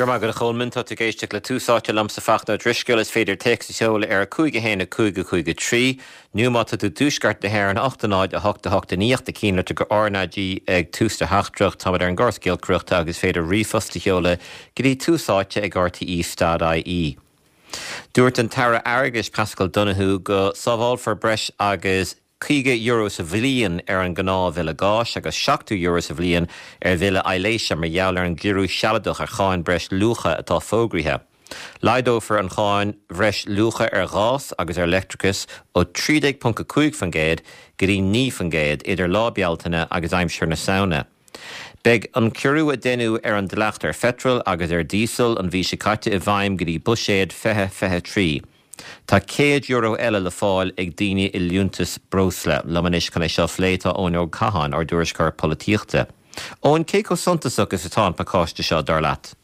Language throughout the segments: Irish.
Go raibh maith agat a Cholmáin. Tá tú ag éisteacht le Tús Áite liomsa Fachtna Ó Drisceoil. Is féidir téacs a sheoladh ar 5 1 5 5 3 nó má tá tú i dtuaisceart na hÉireann 8 0 8 8 9 8 cinnlitir go RnaG ag tús do theachtaireacht. Táimid ar an gcóras giolcaireachta agus is féidir ríomhphost a sheoladh go dtí Tús Áite ag rte.ie. Dúirt an tAire Airgeadais Paschal Donohoe go sábhálfar breis agus €50 sa bhliain ar an ngnáthbhille gáis agus €70 sa bhliain ar bhille aibhléise mar gheall ar an gciorrú sealadach ar cháin breis luacha atá fógraithe. Laghdófar an cháin bhreis luacha ar ghás agus ar leictreachas ó 13.5% go dtí 9% idir Lá Bealtaine agus aimsir na Samhna. Beidh an ciorrú a deineadh ar an dleacht ar pheitreal agus ar dhíosal an mhí seo caite i bhfeidhm go dtí Buiséad 2023. Tá €100 eile le fáil ag daoine i liúntas breosla. Liom anois chun é seo a phlé tá Eoin Óg Catháin, ár dtuairisceoir polaitíochta. Eoin, cé chomh suntasach is atá an pacáiste seo, dar leat?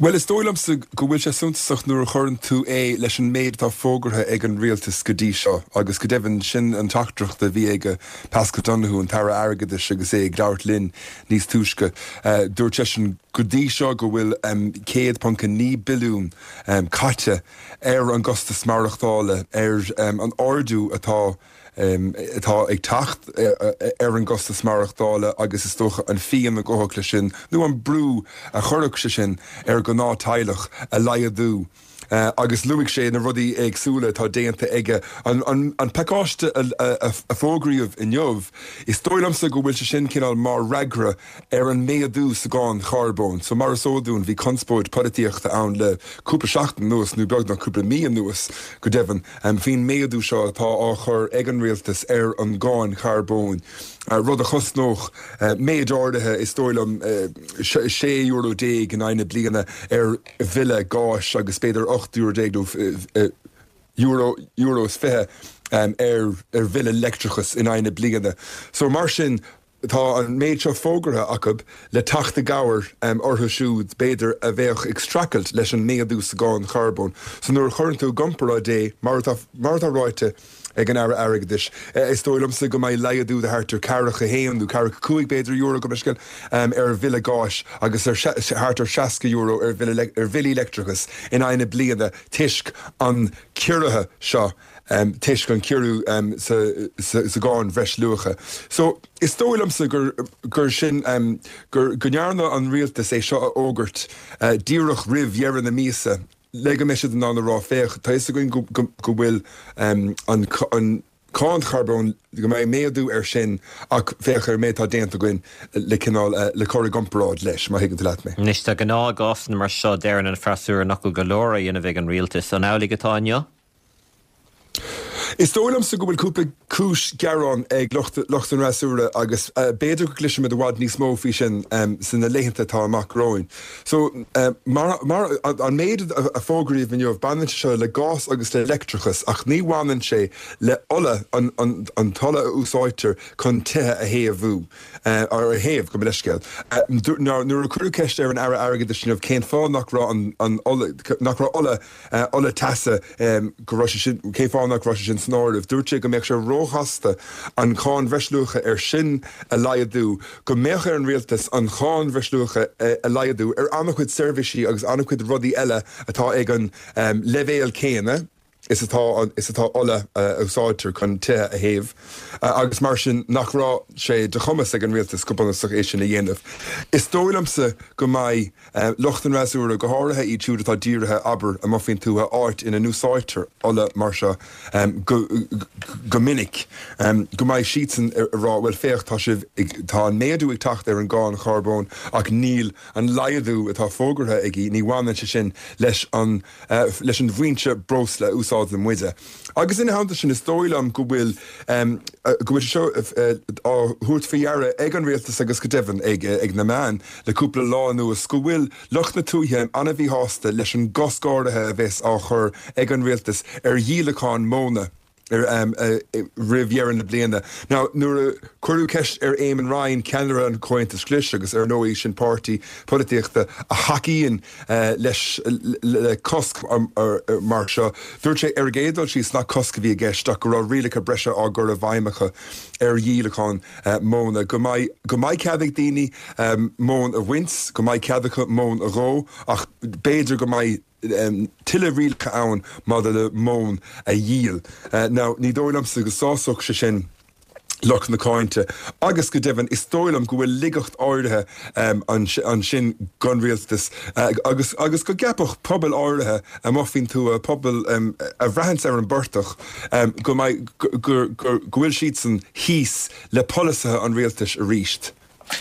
Bhuel, is dóigh liomsa go bhfuil sé suntasach nuair a chuireann tú é leis an méid atá fógartha ag an rialtas go dtí seo agus go deimhin sin an teachtaireacht a bhí ag Paschal Donohoe, an tAire Airgeadais agus é ag labhairt linn níos túisce. Dúirt seisean go dtí seo go bhfuil 100.9 billiún caite ar an gcostas maireachtála, ar an ardú atá atá ag teacht ar an gcostas maireachtála agus is dócha an phian a ghabhfadh leis sin nó an brú a chuirfeadh sé sin ar ghnáth-teaghlach a laghdú. Agus luaigh sé na rudaí éagsúla atá déanta aige. An pacáiste a fógraíodh inniu, is dóigh liomsa go bhfuil sé sin cineál mar fhreagra ar an méadú sa gcáin charbóin. So mar is eol dúinn bhí conspóid polaitíochta ann le cúpla seachtain anuas, nó beagnach cúpla mí anuas go deimhin, faoin méadú seo atá á chur ag an rialtas ar an gcáin charbóin, rud a chosnódh méid áirithe, is dóigh liom €16 in aghaidh na bliana ar bhille gáis agus b'fhéidir €18 nó euro, euro is 20 ar bhille leictreachais in aghaidh na bliana. So mar sin, Tá an méid seo fógartha acu le teacht i gcabhair orthu siúd, b'fhéidir, a bheadh ag streachailt leis an méadú sa gcáin charbóin. So nuair a chuireann tú i gcomparáid é, mar atá mar atá ráite ag an Aire Airgeadais, is dóigh liomsa go mbeidh laghdú de thart ar ceathracha haon nó ceathracha cúig, b'fhéidir, euro, gabh mo leithscéal, ar bhille gáis agus ar thart ar €60 ar bhille ar bhillí leictreachais in aghaidh na bliana toisc an ciorraithe seo. toisc an ciorrú sa gcáin bhreisluacha. So, is dóigh liomsa gur, gur sin, gur, go ndearna an rialtas é seo a fhógairt díreach roimh dheireadh na míosa le go mbeidh siad in ann a rá, féach, tá fhios againn go, go, go bhfuil an, an cáin charbóin, go mbeidh méadú air sin ach féach ar an méid atá déanta againn le cineál, le cur i gcomparáid leis, má thuigeann tú leat mé. Anois, de ghnáth i gcásanna mar seo, deireann an freasúra nach bhfuil go leor á dhéanamh ag an rialtas. An amhlaidh atá inniu? Is dóigh liomsa go bhfuil cúpla cúis ghearáin ag lucht lucht an fhreasúra agus b'fhéidir go gcloisfimid i bhfad níos mó faoi sin sna laethanta atá amach romhainn. So, mar, mar, an méid a fógraíodh inniu, baineann sé seo le gás agus le leictreachas ach ní bhaineann sé le ola, an, an, an t-ola a úsáidtear chun tithe a théamhú, ar a théamh, gabh mo leithscéal. Nuair a cuireadh ceist ar an Aire Airgeadais inniu cén fáth nach raibh an, an ola, nach raibh ola ola teasa, go raibh sé sin, cén fáth nach raibh sé sin san áireamh. Dúirt sé go mbeadh sé róchasta an cháin bhreisluacha air sin a laghdú, go mbeadh ar an rialtas an cháin bhreisluacha a laghdú ar an-chuid seirbhísí agus an-chuid rudaí eile atá ag an leibhéal céanna is atá is atá ola a úsáidtear chun tithe a théamh agus mar sin nach raibh sé de chumas ag an rialtas go bunúsach é sin a dhéanamh. Is dóigh liomsa go mbeidh Lucht an fhreasúra, go háirithe iad siúd atá dírithe, abair, amuigh faoin tuath, áit ina n-úsáidtear ola mar seo go minic, go mbeidh siadsan ag rá, bhuel, féach, tá sibh ag, tá an méadú ag teacht ar an gcáin charbóin ach níl an laghdú atá fógartha agaibh, ní bhaineann sé sin leis an, leis an bhfoinse breosla a úsáideann muide. Agus ina theannta sin, is dóigh liom go bhfuil, go bhfuil sé seo á thabhairt faoi deara ag an rialtas agus go deimhin ag na meáin le cúpla lá anuas go bhfuil lucht na tuaithe an-mhíshásta leis an gcosc áirithe a bheas á chur ag an rialtas ar dhíolachán móna. Roimh dheireadh na bliana. Now, nuair a cuireadh ceist ar Eamon Ryan, ceannaire an Chomhaontais Ghlais, agus ar ndóigh sin páirtí polaitíochta a thacaíonn leis le cosc mar seo, dúirt sé ar an gcéad dul síos nach cosc a bhí i gceist ach go raibh rialacha breise á gcur i bhfeidhm acu ar dhíolachán móna. Go mbeidh go mbeidh cead ag daoine móin a bhaint, go mbeidh cead acu móin a dhó ach b'fhéidir go mbeidh tuilleadh rialacha ann maidir le móin a dhíol. Now, ní dóigh liomsa go sásódh sé sin lucht na cáinte agus go deimhin is dóigh liom go bhfuil laigeacht áirithe ansin don rialtas agus agus go gceapfadh pobail áirithe amuigh faoin tuath, pobail a bhraitheanns ar an bportach, go mbeidh, go bhfuil siadsan thíos le polasaithe an rialtais arís.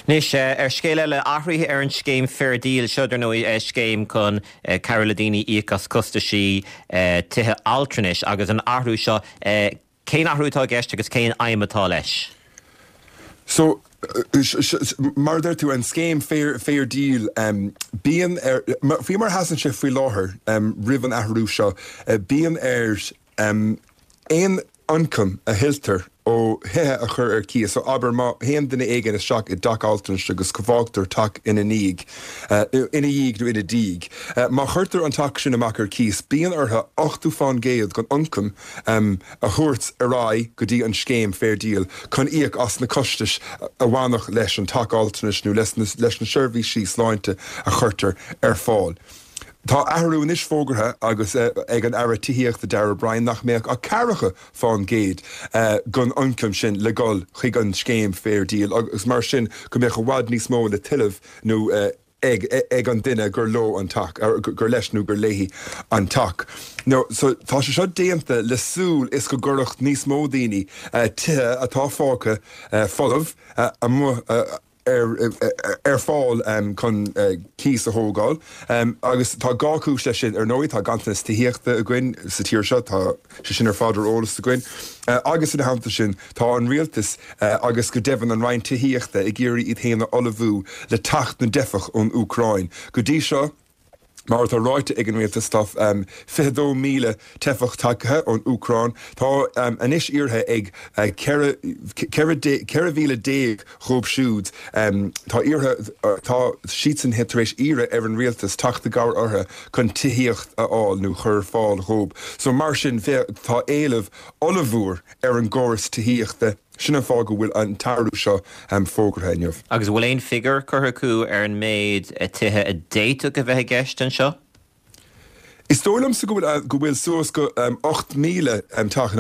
Anois, ar scéal eile, athruithe ar an scéim Fair Deal. Seo, dar ndóigh, scéim chun cabhrú le daoine íoc as costaisí tithe altranais agus an athrú seo, cén athrú atá i gceist agus cén aidhm atá leis? So, mar a deir tú, an scéim Fair Deal, bíonn ar, faoi mar a sheasann sé faoi láthair, roimh an athrú seo, bíonn ar aon ioncam a thuilltear ó thithe a chur ar cíos, so abair má théann duine éigin isteach i dteach altranais agus go bhfágtar teach ina ndiaidh, ina dhiaidh nó ina diaidh, má chuirtear an teach sin amach ar cíos, bíonn orthu 80% den ioncam a thabhairt ar aghaidh go dtí an scéim Fair Deal chun íoc as na costais a bhainfeadh leis an teach altranais nó leis na seirbhísí sláinte a chuirtear ar fáil. Tá athrú anois fógartha agus ag an Aire Tithíochta Darragh O'Brien nach mbeadh ach ceathracha fán gcéad den ioncam sin le dhul chuig an scéim Fair Deal agus mar sin go mbeadh i bhfad níos mó le tuilleamh nó ag ag an duine gur leo an teach, gur leis nó gur léi an teach. Now so tá sé seo déanta le súil is go gcuirfeadh níos mó daoine tithe atá fágtha folamh amuigh ar fáil chun cíos a thógáil agus tá dhá chúis leis sin. Ar ndóigh, tá ganntanas tithíochta againn sa tír seo, tá sé sin ar fad ar eolas againn, agus ina theannta sin, tá an rialtas agus go deimhin an Roinn Tithíochta ag iarraidh iad féin a ullmhú le teacht na dteifeach ón Úcráin. Go dtí seo, Mar atá ráite ag an rialtas, tá 22,000 teifeach tagtha ón Úcráin. Tá anois iarrtha ag 14,000 dhóibh siúd, tá iarrtha, tá siadsan tar éis iarraidh ar an rialtas teacht i gcabhair orthu chun tithíocht a fháil nó chur ar fáil dhóibh. So mar sin, tá éileamh ollmhór ar an gcóras tithíochta. Sin an fáth go bhfuil an t-athrú seo fógartha inniu. Agus an bhfuil aon figiúr curtha acu ar an méid tithe a d'fhéadfadh a bheith i gceist anseo? Is dóigh liomsa go bhfuil go bhfuil suas go 8,000 teach,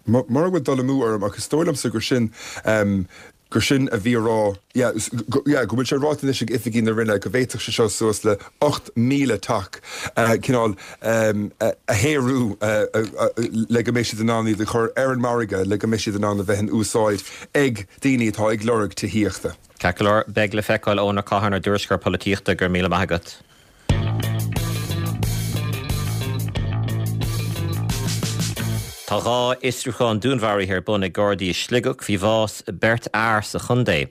mura bhfuil dul amú orm, ach is dóigh liomsa gur sin gur sin a bhí á rá, yeah, yeah, go bhfuil sé ráite anois ag oifigigh na Roinne go bhféadfadh sé seo suas le 8,000 teach cineál a shaothrú le go mbeidh siad in ann iad a chur ar an margadh le go mbeidh siad in ann a bheith in úsáid ag daoine atá ag lorg tithíochta. Ceart go leor, beidh le feiceáil. Eoin Ó Catháin, ár dtuairisceoir polaitíochta, go raibh míle maith agat. Tá dhá fhiosrúchán dúnmharaithe ar bun ag Gardaí i Sligeach faoi bhás beirt fhear sa chontae.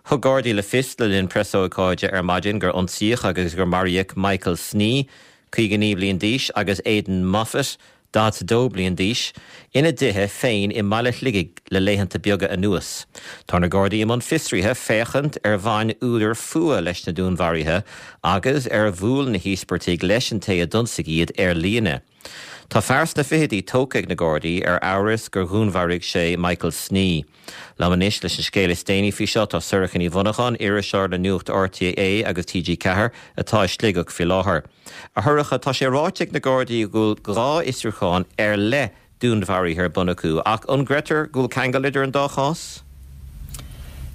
Thug Gardaí le fios le linn preasócáide ar maidin gur ionsaíodh agus gur maraíodh Michael Snee, 59 bliain d'aois, agus Aidan Moffat, 42 bliain d'aois, ina dtithe féin i mbaile Shligigh le laethanta beaga anuas. Tá na Gardaí i mbun fiosraithe féachaint ar bhain údar fuath leis na dúnmharuithe agus ar bhuail na híospartaigh leis an té a d'ionsaigh iad ar líne. Tá fear sna fichidí tógtha ag na Gardaí ar amhras gur dhúnmharaigh sé Michael Snee. Liom anois leis an scéal is déanaí faoi seo tá Sorcha Ní Mhonacháin, iriseoir le Nuacht RTÉ agus TG4 atá i Sligeach faoi láthair. A Shorcha, tá sé ráite ag na Gardaí go bhfuil dhá fhiosrúchán ar leith dúnmharaithe ar bun acu, ach an gcreidtear go bhfuil ceangal idir an dá chás?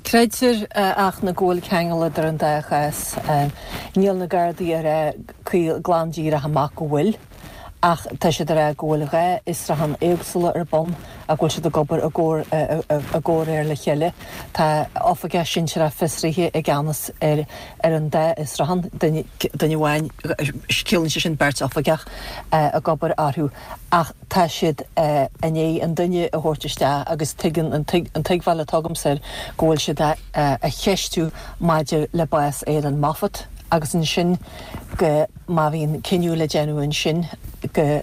Creidtear, a Fhachtna, go bhfuil ceangal idir an dá chás. Níl na Gardaí ag rá caol glan díreach amach go bhfuil. Ach tá siad ag rá go bhfuil dhá fhiosrúchán éagsúla ar bun ach go bhfuil siad ag obair i gcomhréir le chéile. Tá oifigeach sinsearach fiosraithe i gceannas ar ar an dá fhiosrúchán, duine amháin, ciallaíonn sé sin beirt oifigeach ag obair orthu ach tá siad i ndiaidh an duine a thabhairt isteach agus tuigeann, an tuigbheáil atá agamsa air go bhfuil siad á cheistiú maidir le bás Aidan Moffat agus ansin go má bhíonn cinneadh le déanamh ansin go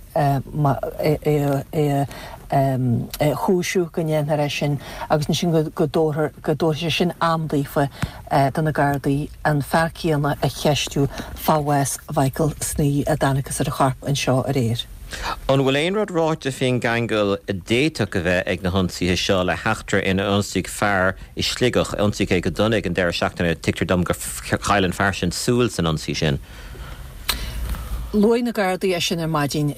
é a. chúisiú go ndéanfar é sin agus ansin go dtabharfar, go dtabharfaidh sé sin am daofa, do na Gardaí an fear céanna a cheistiú fá bhás Mhichael Snee a dtánagthas ar a chorp anseo aréir. An bhfuil aon rud ráite faoin gceangal a d'fhéadfadh a bheith ag na hionsaithe seo le heachtra inar ionsaíodh fear i Sligeach? Ionsaíodh é go dona ag an deireadh seachtaine. Tuigtear dom gur chaill an fear sin súil san ionsaí sin. Luaigh na Gardaí é sin ar maidin.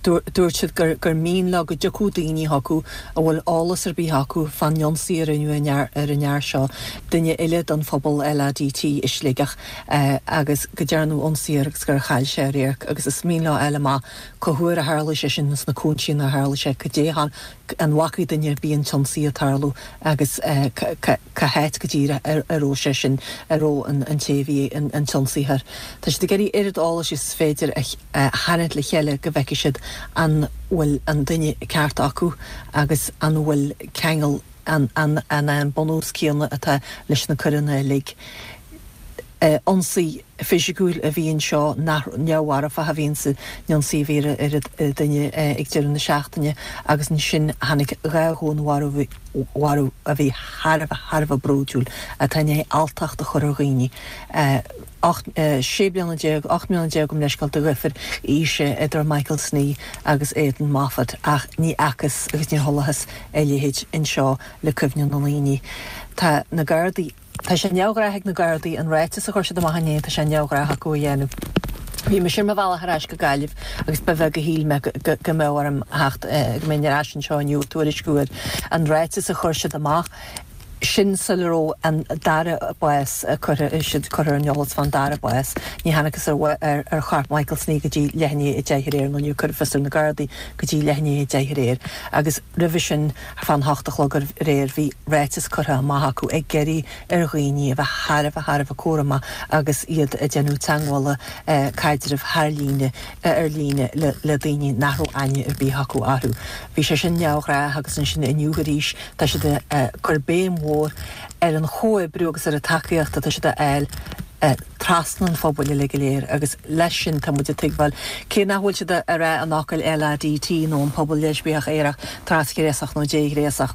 Dúirt siad gur mian leo go dtiocfadh daoine chucu a bhfuil eolas ar bith acu fán ionsaí a rinneadh ar an fhear seo, duine eile den phobal LADT i Sligeach, agus go ndearnadh ionsaí air agus gur chaill sé a radharc agus is mian leo a fháil amach cá huair a tharla sé sin sna cúinsí inar tharla sé, cad é an bhfacaidh duine ar bith an t-ionsaí ag tarlú agus cá háit go díreach a raibh sé sin, a raibh an té a bhí an t-ionsaitheoir. Tá siad ag iarraidh oiread eolais is féidir a tharraingt le chéile go bhfeicfidh siad an bhfuil an duine ceart acu agus an bhfuil ceangal, an é an bunús céanna atá leis na coireanna uilig. Ionsaí fisiciúil a bhí anseo, nach neamh-mharfach a bhí san ionsaí a bhí ar an duine ag deireadh na seachtaine agus ansin tháinig 2 dhúnmharú a bhí thar a bheith, thar a bheith bródúil, atá i ndiaidh alltacht a chur ar dhaoine. 16 bliana, 18 mbliana gabh mo leithscéal de dhifear aoise idir Michael Snee agus Aidan Moffat ach ní fhacthas agus níor chualathas a leithéid anseo le cuimhne na ndaoine. Tá na Gardaí, tá sé neamhghnách ag na Gardaí an ráiteas a chuir siad amach inné, tá sé neamhghnách acu a dhéanamh. Bhí mise ar mo bhealach ar ais go Gaillimh agus ba bheag a shíl mé go mbeadh orm theacht, go mbeinn ar ais anseo inniu ag tuairisciú ar an ráiteas a chuir siad amach. Sin sula raibh an dara bás curtha, siad curtha ar an eolas fán dara bás. Ní thángthas ar ar chorp Michael Snee go dtí leath i ndiaidh 10 aréir, nó níor cuireadh fios ar na Gardaí go dtí leath i ndiaidh 10 aréir. Agus roimhe sin, fán hocht a chlog aréir, bhí ráiteas curtha amach acu ag iarraidh ar dhaoine a bheith thar a bheith thar a bheith cúramach agus iad ag déanamh teagmhála, caidrimh thar líne, ar líne le daoine nach raibh aithne ar bith acu orthu. Bhí sé sin neamhghnách agus ansin inniu arís, Tá siad ag cur béim mhór ar an chomhoibriú agus ar an tacaíocht atá siad a fháil trasna an phobail uilig go léir agus leis sin tá muid ag tuigbheáil, cé nach bhfuil siad ag rá an fhocail LADT nó an pobal leispiach aerach trasghnéasach nó déghnéasach,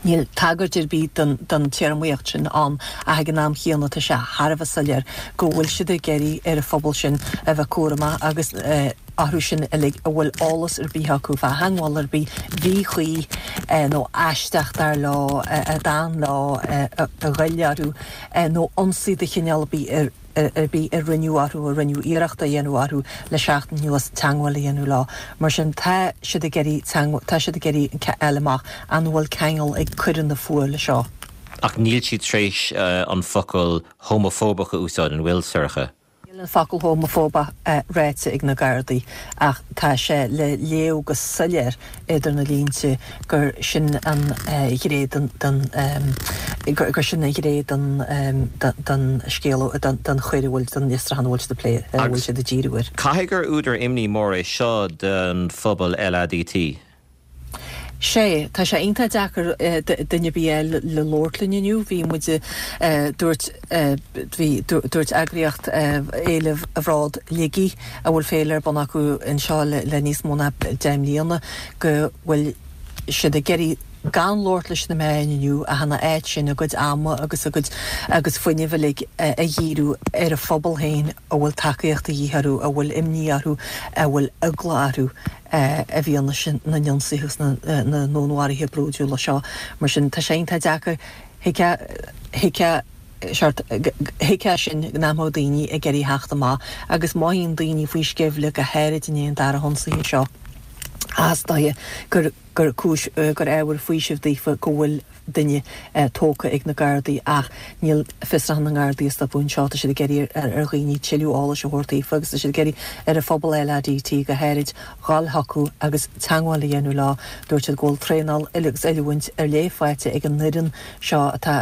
níl tagairt ar bith don téarmaíocht sin ann ach ag an am chéanna tá sé thar a bheith soiléir go bhfuil siad ag iarraidh ar an phobal sin a bheith cúramach agus orthu sin uilig a bhfuil eolas ar bith acu fá theagmháil ar bith mhíchuí nó aisteach dar leo, a d'fhan leo, a ghoill orthu nó ionsaí de chineál ar bith ar bith a rinneadh orthu, a rinneadh iarracht a dhéanamh orthu le seachtain anuas, teagmháil a dhéanamh leo. Mar sin, tá siad ag iarraidh teagmháil, tá siad ag iarraidh a fháil amach an bhfuil ceangal ag coireanna fuatha leis seo. Ach níl siad tar éis an focal homafóbach a úsáid, an bhfuil, Sorcha? Níl an focal homafóbach ráite ag na Gardaí ach tá sé le léamh go soiléir idir na línte gur sin an ghné den gur sin an ghné den scéal, den choir a bhfuil, den fhiosrúchán a bhfuil siad ag plé, a bhfuil siad ag díriú air. Caithfidh gur údar imní mór é seo don phobal LADT. Sea, tá sé iontach deacair duine ar bith a fháil le labhairt linn inniu. Bhí muid, dúirt, bhí, dúirt eagraíocht Fhéile Bhród Shligigh, a bhfuil féile ar bun acu anseo le níos mó ná 10 mbliana, go bhfuil siad ag iarraidh gan labhairt leis na meáin inniu ach ina áit sin a gcuid ama agus a gcuid agus fuinnimh uilig a dhíriú ar a phobal féin a bhfuil tacaíocht de dhíth orthu, a bhfuil imní orthu, a bhfuil eagla orthu. i bhfianaise na n-ionsaithe agus na ndúnmharuithe brúidiúla seo. Mar sin, tá sé iontach deacair. Thuigfeá, sórt, thuigfeá sin nach mbeadh daoine ag iarraidh theacht amach agus mothaíonn daoine faoi sceimhle, go háirid i ndiaidh an dara hionsaithe seo. Ach is dóiche gur, gur cúis, gur ábhar faoisimh daofa go bhfuil duine tógtha ag na Gardaí ach níl fiosrúchán na nGardaí ag stopadh anseo. Tá siad ag iarraidh ar dhaoine tuilleadh eolais a thabhairt daofa agus tá siad ag iarraidh ar an phobal LADT go háirid dhul chucu agus teagmháil a dhéanamh leo. Dúirt siad go bhfuil traenáil agus oiliúint ar leith faighte ag an fhoireann seo atá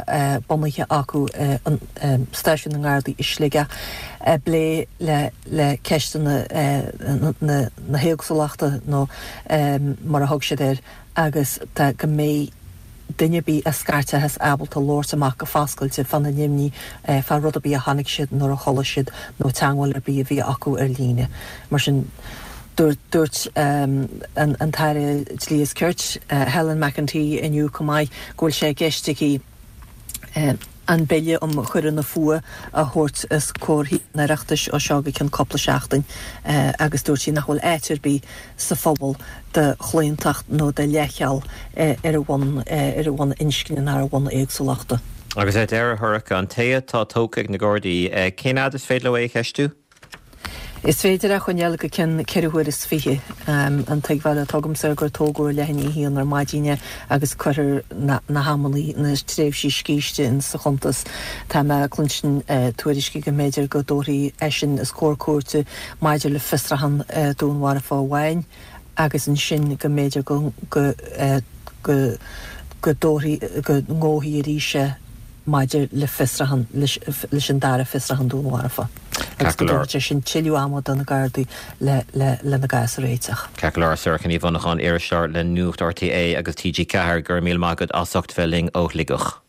bunaithe acu i stáisiún na nGardaí i Sligeach ag plé le ceisteanna na héagsúlachta nó mar a thug siad air agus tá go mbeidh duine ar bith a scairteochas ábalta labhairt amach go foscailte fána n-imní fá rud ar bith a chonaic siad nó a chuala siad nó teagmháil ar bith a bhí acu ar líne. Mar sin. Dúirt an tAire Dlí is Cirt, Helen McEntee inniu chomh maith go bhfuil sé i gceist aici an Bille um Choireanna Fuatha a thabhairt os comhair Thithe an Oireachtais ó seo go ceann cúpla seachtain agus dúirt sí nach bhfuil áit ar bith sa phobal do chlaontacht nó do leithcheal ar bhonn ar bhonn inscne ná ar bhonn éagsúlachta. Agus ar deireadh, a Shorcha, an té atá tógtha ag na Gardaí, cén fhad is féidir leo é a cheistiú? Is féidir é a choinneáil go ceann 24 huaire. An tuigbheáil atá agamsa gur tógadh ar leath i ndiaidh a haon ar maidin é agus cuirfear na hamanna, na tréimhsí scíste in sa chuntas. Tá mé ag cluinstin tuairiscí go mb'fhéidir go dtabharfaí eisean os comhair cúirte maidir le fiosrachán dúnmharfa amháin agus ansin go mb'fhéidir go go go go dtabharfaí go ngabhfaí arís é. maidir le fiosrachán, leis an dara fiosrachán dúnmharfa agus go dtabharfaidh sé sin tuilleadh ama do na Gardaí lena gcás a réiteach. Ceart go leor, Sorcha Ní Mhonacháin, iriseoir le Nuacht RTÉ agus TG4, go raibh míle maith agat as ucht bheith linn ó Shligeach.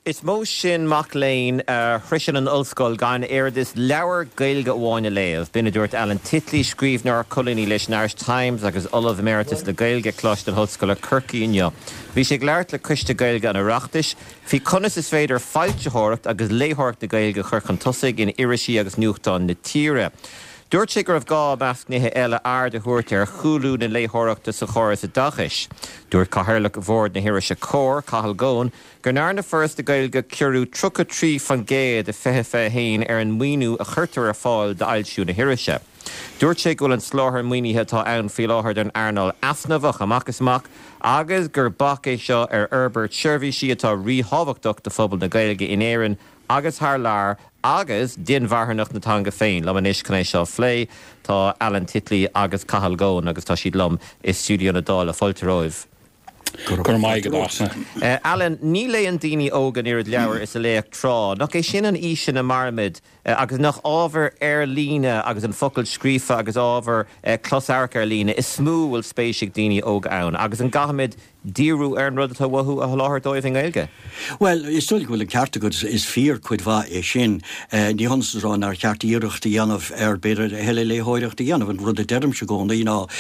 Is mó sin mac léinn a shroiseann an ollscoil gan oiread is leabhar Gaeilge amháin a léamh. B'in a dúirt Alan Titley, scríbhneoir, colúnaí leis an Irish Times agus Ollamh Emeritus le Gaeilge ag Coláiste na hOllscoile, Corcaigh inniu. Bhí sé ag labhairt le Coiste Gaeilge an Oireachtais faoi conas is féidir foilsitheoireacht agus léitheoireacht na Gaeilge a chur chun tosaigh in irisí agus nuachtáin na tíre. Dúirt sé go raibh gá, i measc nithe eile, aird a thabhairt ar chúlú na léitheoireachta sa chóras oideachais. Dúirt Cathaoirleach Bhord na hirise Comhar, Cathal Goan, go ndearna Foras na Gaeilge ciorrú 33% i 2021 ar an maoiniú a chuirtear ar fáil d'fhoilsiú na hirise. Dúirt sé go bhfuil an soláthar maoinithe atá ann faoi láthair don earnáil easnamhach amach is amach agus gur bac é seo ar fhorbairt seirbhísí atá ríthábhachtach do phobal na Gaeilge in Éirinn agus thar lear agus d'inmharthanacht na teanga féin. Liom anois chun é seo a phlé tá Alan Titley agus Cathal Goan agus tá siad liom i stiúideo na Dála. Fáilte romhaibh. Go raibh maith agat, a Fhachtna. Alan, ní léann daoine óga an oiread leabhar is a léadh tráth. Nach é sin an aois ina mairimid agus nach ábhar ar líne agus an focal scríofa agus ábhar closamhairc ar líne is mó a bhfuil spéis ag daoine óga ann? Agus an gcaithfimid díriú ar an rud atá uathu a sholáthar dóibh i nGaeilge? Bhuel, is dóigh go bhfuil an ceart agat, is fíor cuid mhaith é sin. Ní hionann is a rá nár cheart iarracht a dhéanamh ar, b'fhéidir, a thuilleadh léitheoireachta a dhéanamh. An rud a deirimse i gcónaí ná,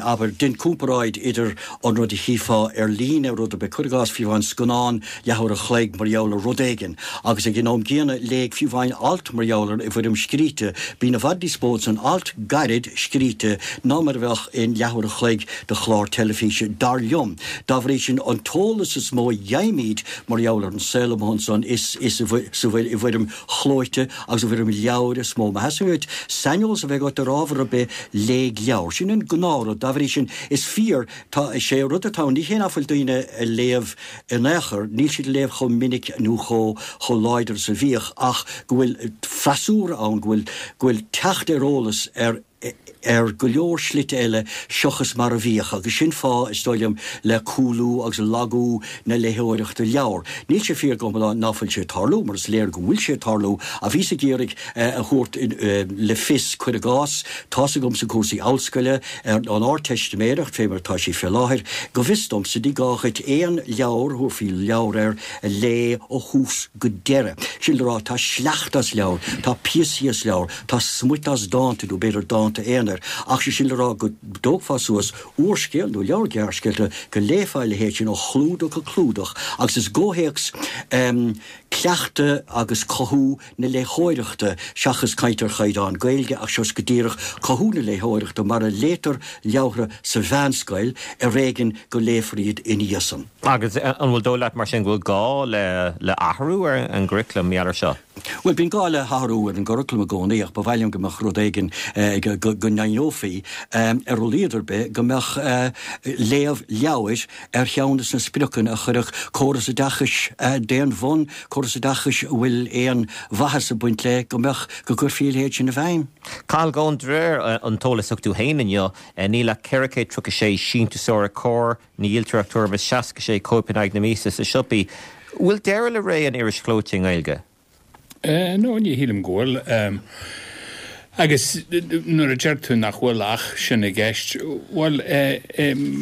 abair, dein comparáid idir an rud a chífeá ar líne, rud ar bith, cuir i gcás, fiú amháin scannán leathuair a chloig mar gheall ar rud éigin, agus ag an am gcéanna léigh fiú amháin alt mar gheall air i bhfoirm scríte, bíonn i bhfad níos mó san alt gairid scríte ná mar a bheadh in leathuair a chloig de chlár teilifíse, dar liom. Dá bhrí sin, an t-eolas is mó a fhaighimid mar gheall ar an saol amuigh ansan is i bhfoirm chlóite agus i bhfoirm leabhair is mó. Má theastaíonn uait saineolas a bheith agat ar ábhar ar bith, léigh leabhar. Sin an gnáthrud. Dá bhrí sin, is fíor, tá, is é rud atá ann, ní hé nach bhfuil daoine ag léamh in aon chor, níl siad ag léamh chomh minic nó chomh, chomh láidir is a bhíodh ach go bhfuil freasúra ann, go bhfuil, go bhfuil teacht ar eolas ar, ar go leor slite eile seachas mar a bhíodh agus sin fáth, is dóigh liom, le cúlú agus lagú na léitheoireachta leabhar. Níl sé fíor go hiomlán ná fuil sé ag tarlú, mar is léir go bhfuil sé ag tarlú, ach bhíos ag iarraidh a thabhairt le fios, cuir i gcás, tá's agamsa cúrsaí ollscoile, ar an Ardteistiméireacht fé mar atá sí fé láthair, go bhfios domsa, ní gá dhuit aon leabhar, thabharfaí leabhar air, a léamh ó thús go deireadh. Sin le rá, tá sleachta as leabhair, tá píosaí as leabhair, Tá smuit as dánta, nó b'fhéidir dánta aonair, ach sé sin le rá go dtógfá suas úrscéal nó leabhar gearrscéalta, go léifeá a leithéid sin ó chlúdach go clúdach, agus is i gcomhthéacs cleachtadh agus cothú na léitheoireachta, seachas caint ar chaighdeán Gaeilge, ach seo go díreach cothú na léitheoireachta mar a léitear leabhartha sa mheánscoil, ar éigean go léifear iad ina dhiaidh san. Agus an bhfuil dóigh leat mar sin go bhfuil gá le athrú ar an gcuraclam mar gheall air seo? Bhuel, bíonn gá le hathrú ar an gcuraclam i gcónaí ach ba mhaith liom go mbeadh rud éigin, go ndeimhneofaí, ar a laghad ar bith, go mbeadh léamh leabhair ar cheann de na spriocanna a chuirfeadh córas oideachais d'aon bhun, córas oideachais a bhfuil aon mhaitheas ag baint le, go mbeadh, go gcuirfí a leithéid sin i bhfeidhm. Cathal Goan, de réir an t-eolas a thug tú féin inniu, níl ach 436 síntiúsóir ag Comhar. Ní dhíoltar ach tuairim is 66 cóip in aghaidh na míosa sna siopaí. Bhfuil deireadh le ré an iris chlóite i nGaeilge? No, ní shílim go bhfuil. Agus nuair a deir tú nach bhfuil ach sin i gceist, bhuel,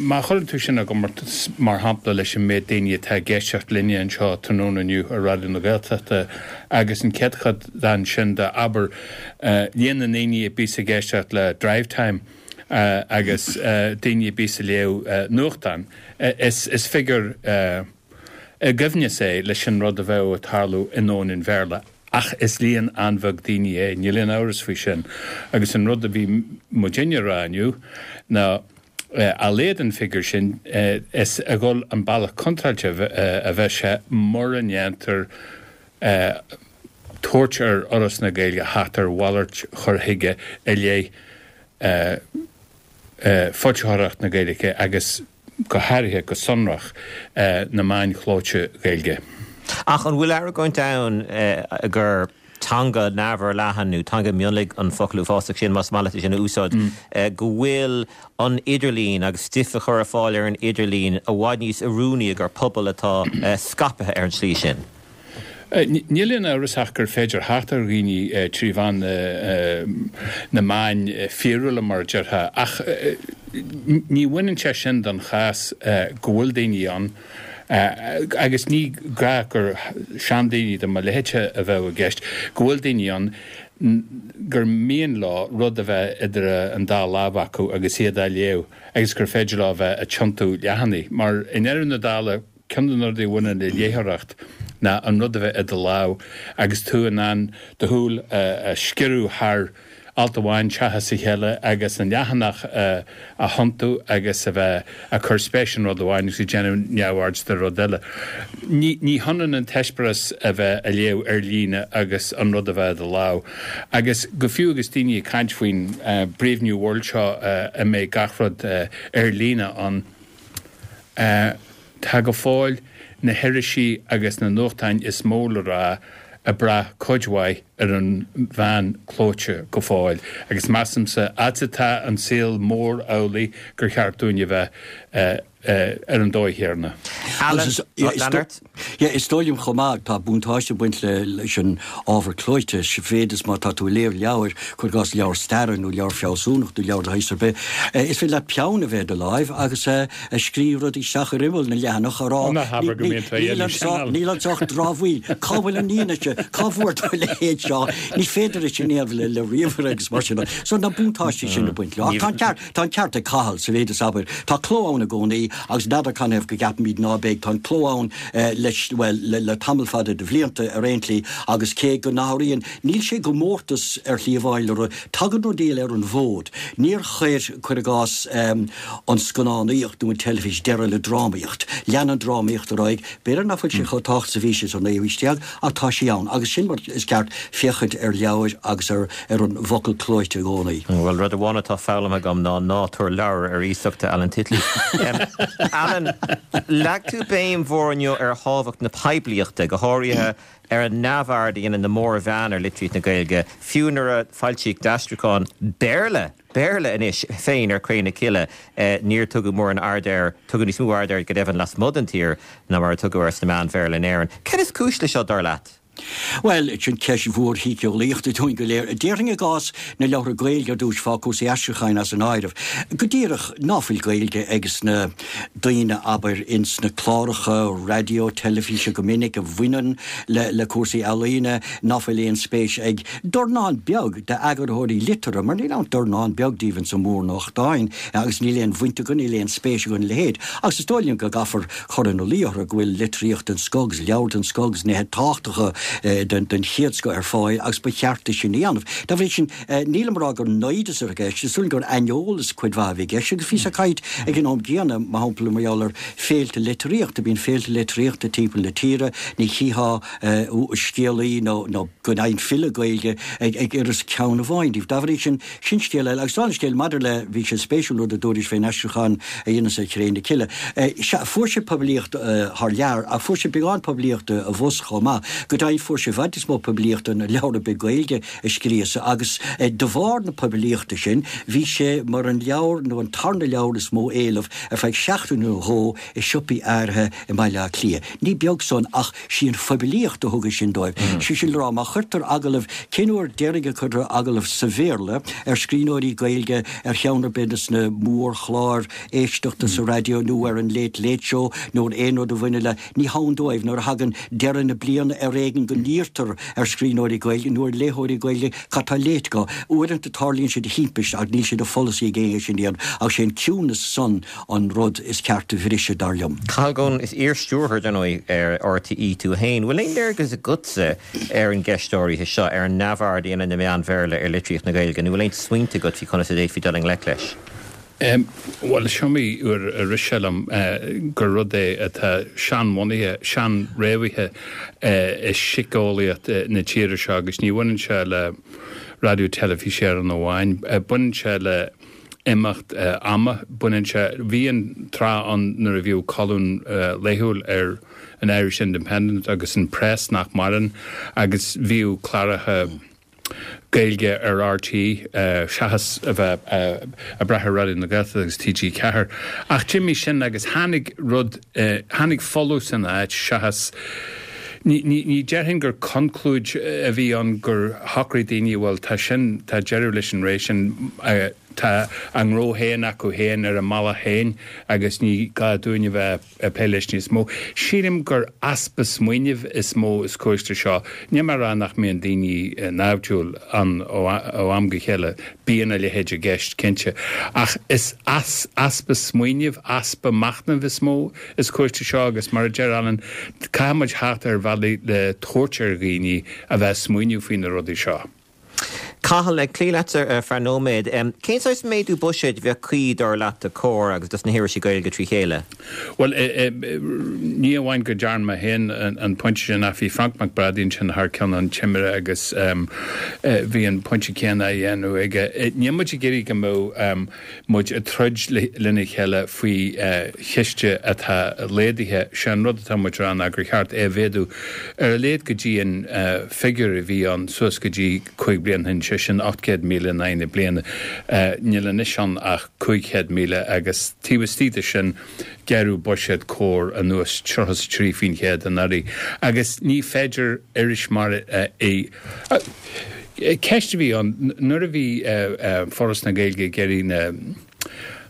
má chuireann tú sin i gcomórtas, mar shampla, leis an méid daoine atá ag éisteacht linne anseo tráthnóna inniu ar Raidió na Gaeltachta agus an céatadán sin de, abair, líon na ndaoine a bíos ag éisteacht le Drivetime agus daoine a bíos ag léamh nuachtán, is figiúr i gcoibhneas é leis an rud a bheadh ag tarlú i ndomhan an Bhéarla. Ach is líon an-bheag daoine é, níl aon amhras faoi sin. Agus an rud a bhí muidinne a rá inniu ná, a laghad an figiúr sin, is ag dul an bealach contráilte a bheas sé mura ndéantar tabhairt ar Fhoras na Gaeilge theacht ar mhalairt chur chuige i leith foilsitheoireacht na Gaeilge agus go háirithe, go sonrach, na meáin chlóite Ghaeilge. Ach an bhfuil argóint ann gur teanga neamhfhorleathan, nó teanga mionlaigh an focal uafásach sin, más maith leat é sin a úsáid, go bhfuil an idirlíon agus stuif a chur ar fáil ar an idirlíon i bhfad níos oiriúnaí i gcomhair pobal atá scaipthe ar an tslí sin? Níl aon amhras ach gur féidir theacht ar dhaoine trí mheán na meáin fíorúla, mar a déarfá, ach ní bhaineann sé sin don chás go bhfuil daoine ann, agus ní gá gur seandaoine de mo leithéidse a bheadh i gceist, go bhfuil daoine ann gur mian leo rud a bheith idir an dá lámh acu agus iad á léamh agus gur féidir leo a bheith ag tiontú leathanaigh, mar i ndeireadh na dála, Ceann de na rudaí a bhaineann le léitheoireacht ná an rud a bheith i do lámh agus tú in ann do shúil a sciorradh thar alt amháin seachas a chéile agus an leathanach a thiontú agus a bheith ag cur spéis in rud amháin agus ag déanamh neamhaird de rud eile. Ní hionann an t-eispéireas a bheith ag léamh ar líne agus an rud a bheith i do lámh. Agus go fiú agus daoine ag caint faoin Brave New World seo a mbeidh gach rud ar líne ann, Tá go fóill na hirisí agus na nuachtáin is mó le rá ag brath cuid mhaith ar an mheán clóite go fóill agus measaimse, fhad is atá an saol mór amhlaidh, gur cheart dúinn a bheith ar an dóigh chéanna. Alan, Leonard? Yeah, is dóigh liom chomh maith, tá buntáiste ag baint leis an ábhar clóite, sa mhéid is má tá tú ag léamh leabhair, cuir i gcás leabhar staire nó leabhar fealsúnachta nó leabhar de shaghas ar bith, is féidir leat peann a bheith i do láimh agus a scríobh rudaí isteach ar imeall na leathanach a rá, Ná habair go mbíonn tú a dhéanamh sin, Alan. Níl anseo ach dramhaíl, cá bhfuil an fhianaise, cá bhfuair tú a leithéid seo, ní féidir é sin a dhéanamh le ríomhaire agus mar sin de. So na buntáistí sin ag baint leo. Ach tá an ceart, Tá an ceart ag Cathal sa mhéid is, abair, tá cló ann i gcónaí agus n'fheadar canathaobh go gceapaimid ná beidh, tá an cló ann leis, bhuel, le tamall fada de bhlianta ar aon tslí agus cé go n-athraíonn, níl sé i gcomórtas ar shlí amháin le rud, tagann rudaí eile ar an bhfód. Níor chuir, cuir i gcás, an scannánaíocht nó an teilifís deireadh le drámaíocht. Lean an drámaíocht ar aghaidh, b'fhéidir nach bhfuil sé chomh tábhachtach is a bhí sé sa naoú haois déag ach tá sí ann agus sin mar is ceart féachaint ar leabhair agus ar ar an bhfocal clóite i gcónaí. Bhuel, rud amháin atá foghlamtha agam ná ná tabhair leabhar ar iasacht do Alan Titley. Alan, leag tú béim mhór inniu ar thábhacht na poiblíochta, go háirithe ar an neamhaird a dhéanann na mórmheáin ar litríocht na Gaeilge, fiú nuair a foilsíodh d'aistriúchán Béarla, Béarla anois, féin ar Cré na Cille, níor tugadh mórán aird air, tugadh níos mó aird air go deimhin lasmuigh den tír ná mar a tugadh air sna meáin Bhéarla in Éirinn. Cad is cúis le seo, dar leat? Bhuel, sin ceist mhór shíceolaíochta dúinn go léir. Déarfainn i gcás na leabhartha Gaeilge ar dtús, fág cúrsaí aistriúcháin as an áireamh, go díreach ná fuil Gaeilge ages na daoine, abair, ins na cláracha raidió, teilifíse go minic a bhaineann le cúrsaí ealaíne, ná fuil aon spéis ag dornán beag d'eagarthóirí liteartha, mar níl ann dornán beag díobh ins na mórnuachtáin agus níl aon bhaint acu, níl aon spéis acu ina leithéid. Agus is dóigh liom go gcaithfear cur ina luí orthu go bhfuil litríocht den scoth agus leabhair den scoth agus nithe tábhachtacha den chéad scoth ar fáil agus ba cheart é sin a dhéanamh. Dá bhrí sin, nílim ag rá gur naimhdeas atá i gceist, is dóigh liom gur aineolas cuid mhaith a bhí i gceist agus bhíos ag caint ag an am gcéanna, mar shampla, mar gheall ar féilte litríochta. Bíonn féilte litríochta timpeall na tíre, ní chífeá scéalaí nó go deimhin file Gaeilge ag uireasa ceann amháin díobh. Dá bhrí sin, Sin scéal eile. Agus dála an scéil, maidir le, bhí sé spéisiúil an rud a dúraís fén aistriúchán a dheineas ar Chré na Cille. Sea, fuair sé poiblíocht thar lear, ach fuair sé beagán poiblíochta abhus chomh maith. Go deimhin. ndóigh, fuair sé i bhfad níos mó poiblíochta ná leabhar ar bith Gaeilge a scríosadh agus de bharr na poiblíochta sin, bhí sé mar an leabhar nó an tarna leabhar is mó éileamh ar feadh seachtain nó dhó i siopaí áirithe i mBaile Átha Cliath. Ní beag san ach sí an phoiblíocht a thug é sin dóibh. Sé sin le rá, má chuirtear agallamh, cén uair deiridh a cuireadh agallamh sa Bhéarla ar scríbhneoirí Gaeilge ar cheann ar bith des na mórchláir éisteachta sa raidió nó ar an Late Late Show nó ar aon rud a bhaineann le, ní hann dóibh, nuair a thagann deireadh na bliana ar éigean go n-iarrtar ar scríbhneoirí Gaeilge nó ar léitheoirí Gaeilge cad tá léite acu. Uaireanta tarlaíonn sé de thimpiste ach níl sé de pholasaí ag éinne é sin a dhéanamh ach sé an ciúnas san an rud is ceart a bhriseadh, dar liom. Cathal Goan, is iar-stiúrthóir, dar ndóigh, ar RTÉ tú féin. Bhfuil aon léargas agatsa ar an gceist áirithe seo, ar an neamhaird a dhéanann na meáin Bhéarla ar litríocht na Gaeilge, nó bhfuil aon smaointe agat faoi conas a d'fhéadfaí dul i ngleic leis? Bhuel, is iomaí uair a rith sé liom gur rud é atá seanbhunaithe, seanfhréamhaithe i síceolaíocht na tíre seo agus ní bhaineann sé le Raidió Teilifís Éireann amháin. Baineann sé le imeacht ama. Baineann sé, bhí an tráth ann nuair a bhíodh colún laethúil ar an Irish Independent agus an Press nach maireann agus bhíodh cláracha Gaeilge ar RTÉ seachas a bheith ag brath ar Raidió na Gaeltachta agus TG4. Ach d'imigh sin agus tháinig rud, tháinig folús ina áit seachas, ní, ní, ní déarfainn gur conclúid a bhí ann gur shocraigh daoine, bhuel tá sin, tá deireadh leis an ré sin, tá a ngnó féin acu féin ar a mbealach féin agus ní gá dúinn a bheith ag plé leis níos mó. Sílim gur easpa smaoinimh is mó is cúis le seo. Níl mé ag rá nach mbíonn daoine naimhdiúil ann ó am go chéile, bíonn a leithéid i gceist, cinnte. Ach is easpa smaoinimh, easpa machnaimh is mó is cúis le seo agus mar a deir Alan, caithfidh muid theacht ar bhealaí le tabhairt ar dhaoine a bheith ag smaoineamh faoi na rudaí seo. Cathal, ag cloí leat ar feadh nóiméad, cén saghas méadú buiséid a bheadh cuí, dar leat, do Comhar agus dos na hirisí Gaeilge trí chéile? Bhuel, ní amháin go dtearn mé féin an pointe sin ach bhí Frainc Mac Brádaigh ansin thar ceann an Timire agus bhí an pointe céanna á dhéanamh aige. Níl muid ag iarraidh go mbeadh muid ag troid lena chéile faoi chiste atá laghdaithe. Sé an rud atá muid a rá ná gur cheart é a mhéadú ar a laghad go dtí an figiúr a bhí ann suas go dtí 5 bliana ó shin, sé sin 800,000 in aghaidh na bliana. Níl anois ann ach 500,000 agus taobh istigh de sin gearradh buiséad Comhar anuas 33% anuraidh agus ní féidir iris mar í Ceist a bhí ann nuair a bhí Foras na Gaeilge ag iarraidh na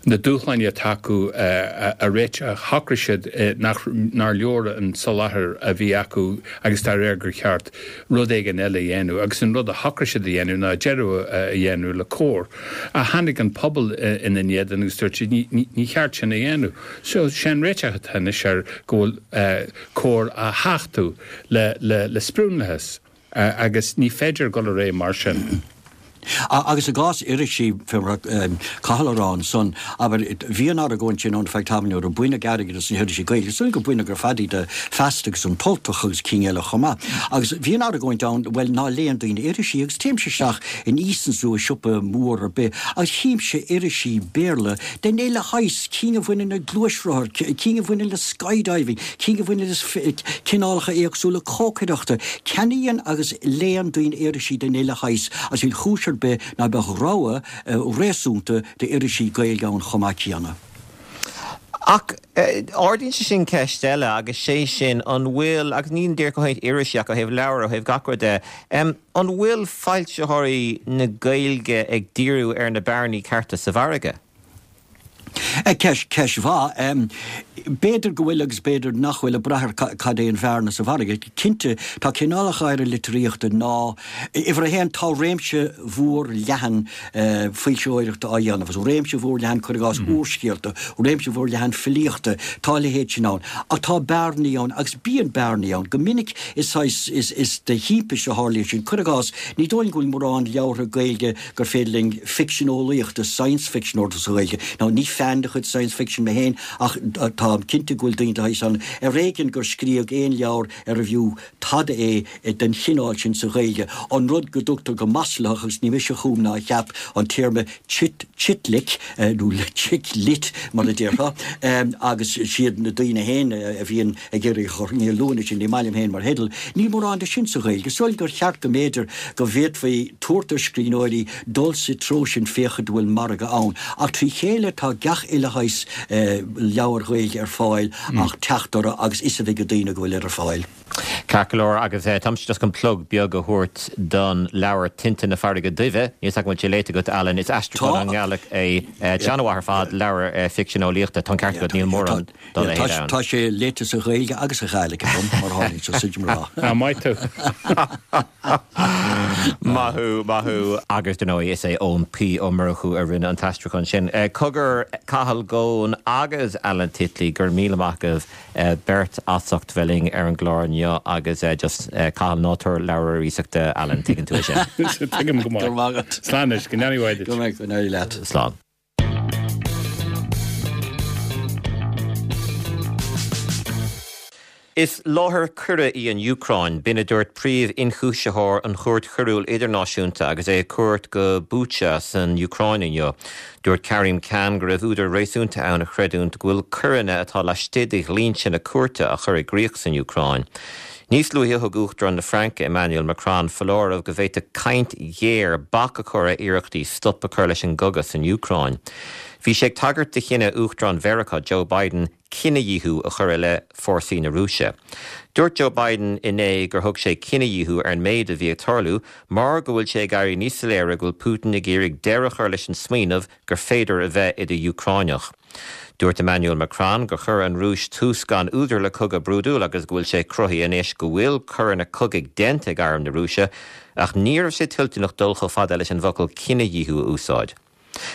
na dúshláin atá acu a réiteach, shocraigh siad nach nár leor an soláthar a bhí acu agus dá réir gur cheart rud éigin eile a dhéanamh agus an rud a shocraigh siad a dhéanamh ná deireadh a dhéanamh le Comhar. Ach tháinig an pobal ina n-éadan agus dúirt siad ní cheart sin a dhéanamh. So sé an réiteach atá anois air go bhfuil Comhar á thachtadh le le sprionlachas. Agus ní féidir dul ar aghaidh mar sin. Agus i gcás irisí, fé mar a Cathal a rá ansan, abair, bhí an argóint sin ann ar feadh tamaill nuair a baineadh airgead as na hirisí Gaeilge, is dóigh gur baineadh ar fad iad de Feasta agus An tUltach agus cinn eile chomh maith. Agus bhí an argóint ann, bhuel, ná léann daoine irisí, agus téimse isteach in Easons nó i siopa mór ar bith agus chímse irisí Béarla den uile shaghas, cinn a bhaineann le gluaisrothair, cinn a bhaineann le skydiving, cinn a bhaineann le cineálacha éagsúla cócaireachta. Ceannaíonn agus léann daoine irisí den uile shaghas agus níl chúis ar bith ná beadh rogha réasúnta d'irisí Gaeilge ann chomh maith céanna. Ach ardaíonn sé sin ceist eile agus sé sin an bhfuil, agus ní díreach ó thaobh irisí ach ó thaobh leabhar, ó thaobh gach rud de, an bhfuil foilsitheoirí na Gaeilge ag díriú ar na bearnaí cearta sa mhargadh? Ceist, ceist mhaith. B'fhéidir go bhfuil agus b'fhéidir nach bhfuil, ag brath ar cad é an bhearna sa mhargadh. Cinnte, tá cineálacha áirithe litríochta ná, uimhir a haon, tá réimse mhór leathan foilsitheoireachta á dhéanamh, agus réimse mhór leathan, cuir i gcás, úrscéalta, réimse mhór leathan filíochta, tá a leithéid sin ann. Ach tá bearnaí ann, agus bíonn bearnaí ann. Go minic is saghas, is, is de thimpiste a tharlaíonn sin. Cuir i gcás, ní dóigh liom go bhfuil mórán leabhartha Gaeilge gur féidir linn ficsean eolaíochta, science fiction, a ordú sa Ghaeilge. Now, ní fan de chuid. an-chuid science fiction mé féin ach táim cinnte go bhfuil daoine de shaghas ann, ar éigean gur scríodh aon leabhar arbh fhiú tada é den chineál sin sa Ghaeilge. An rud go dtugtar go maslaitheach, agus ní mise a chum ná a cheap an téarma chit chitlic, nó chick lit mar a déarfá, agus siad na daoine féin a bhíonn ag iarraidh a chur, ní luann sin, ní maith liom féin mar theideal, níl mórán de sin sa Ghaeilge. Is dóigh gur cheart go mb'fhéidir go bhféadfaí tabhairt ar scríbhneoirí dul sa treo sin féachaint an bhfuil margadh ann. Ach trí chéile tá gach uile shaghas leabhair Ghaeilge ar fáil ach teacht orthu agus fhios a bheith ag daoine go bhfuil ar fáil. Ceart go leor, agus táimse just chun plug beag a thabhairt don leabhar Tinte na Farraige Duibhe. Níl 's agam an bhfuil sé léite agat, Alan. Is aistriúchán ón nGàidhlig é. An-mhaith ar fad, leabhar ficsean eolaíochta. Tá an ceart agat, níl mórán dá leithéid ann. Tá sé léite sa Ghaeilge agus sa Ghàidhlig agam, mar a tharlaíonn sé, is mra. Ah, maith thú. Maith thú, maith thú. Agus, dar ndóigh, is é Eoin P. Ó Murchú a rinne an t-aistriúchán sin. Cogar, Cathal Goan agus Alan Titley, go raibh míle maith agaibh beirt as ucht bheith linn ar an gclár inniu agus just, Cathal, ná tabhair leabhar ar iasacht do Alan, tuigeann tú é sin. Tuigim go maith. Go raibh maith agat. Slán anois, go n-éirí mhaith duit. Go raibh, go n-éirí leat. Slán. Is láthair coire í an Úcráin, b'in a dúirt príomh-ionchúisitheoir an Chúirt Choiriúil Idirnáisiúnta agus é ar cuairt go Bucha san Úcráin inniu. Dúirt Karim Khan go raibh údar réasúnta ann a chreidiúint go bhfuil coireanna atá laistigh de dhlínse na cúirte á chur i gcrích san Úcráin. Níos luaithe thug Uachtarán na Fraince, Emmanuel Macron, foláireamh go bhféadfadh caint ghéar bac a chur ar iarrachtaí stop a chur leis an gcogadh san Úcráin. Bhí sé ag tagairt do chinneadh Uachtarán Mheiriceá, Joe Biden, cinedhíothú a chur i leith fórsaí na Rúise. Dúirt Joe Biden inné gur thug sé cinedhíothú ar an méid a bhí ag tarlú mar go bhfuil sé ag éirí níos soiléire go bhfuil Putin ag iarraidh deireadh a chur leis an smaoineamh gur féidir a bheith i do Úcráineach. Dúirt Emmanuel Macron gur chuir an Rúis tús gan údar le cogadh brúidiúil agus go bhfuil sé cruthaithe anois go bhfuil coireanna cogaidh déanta ag arm na Rúise ach ní raibh sé toilteanach dul chomh fada leis an bhfocal cinedhíothú a úsáid.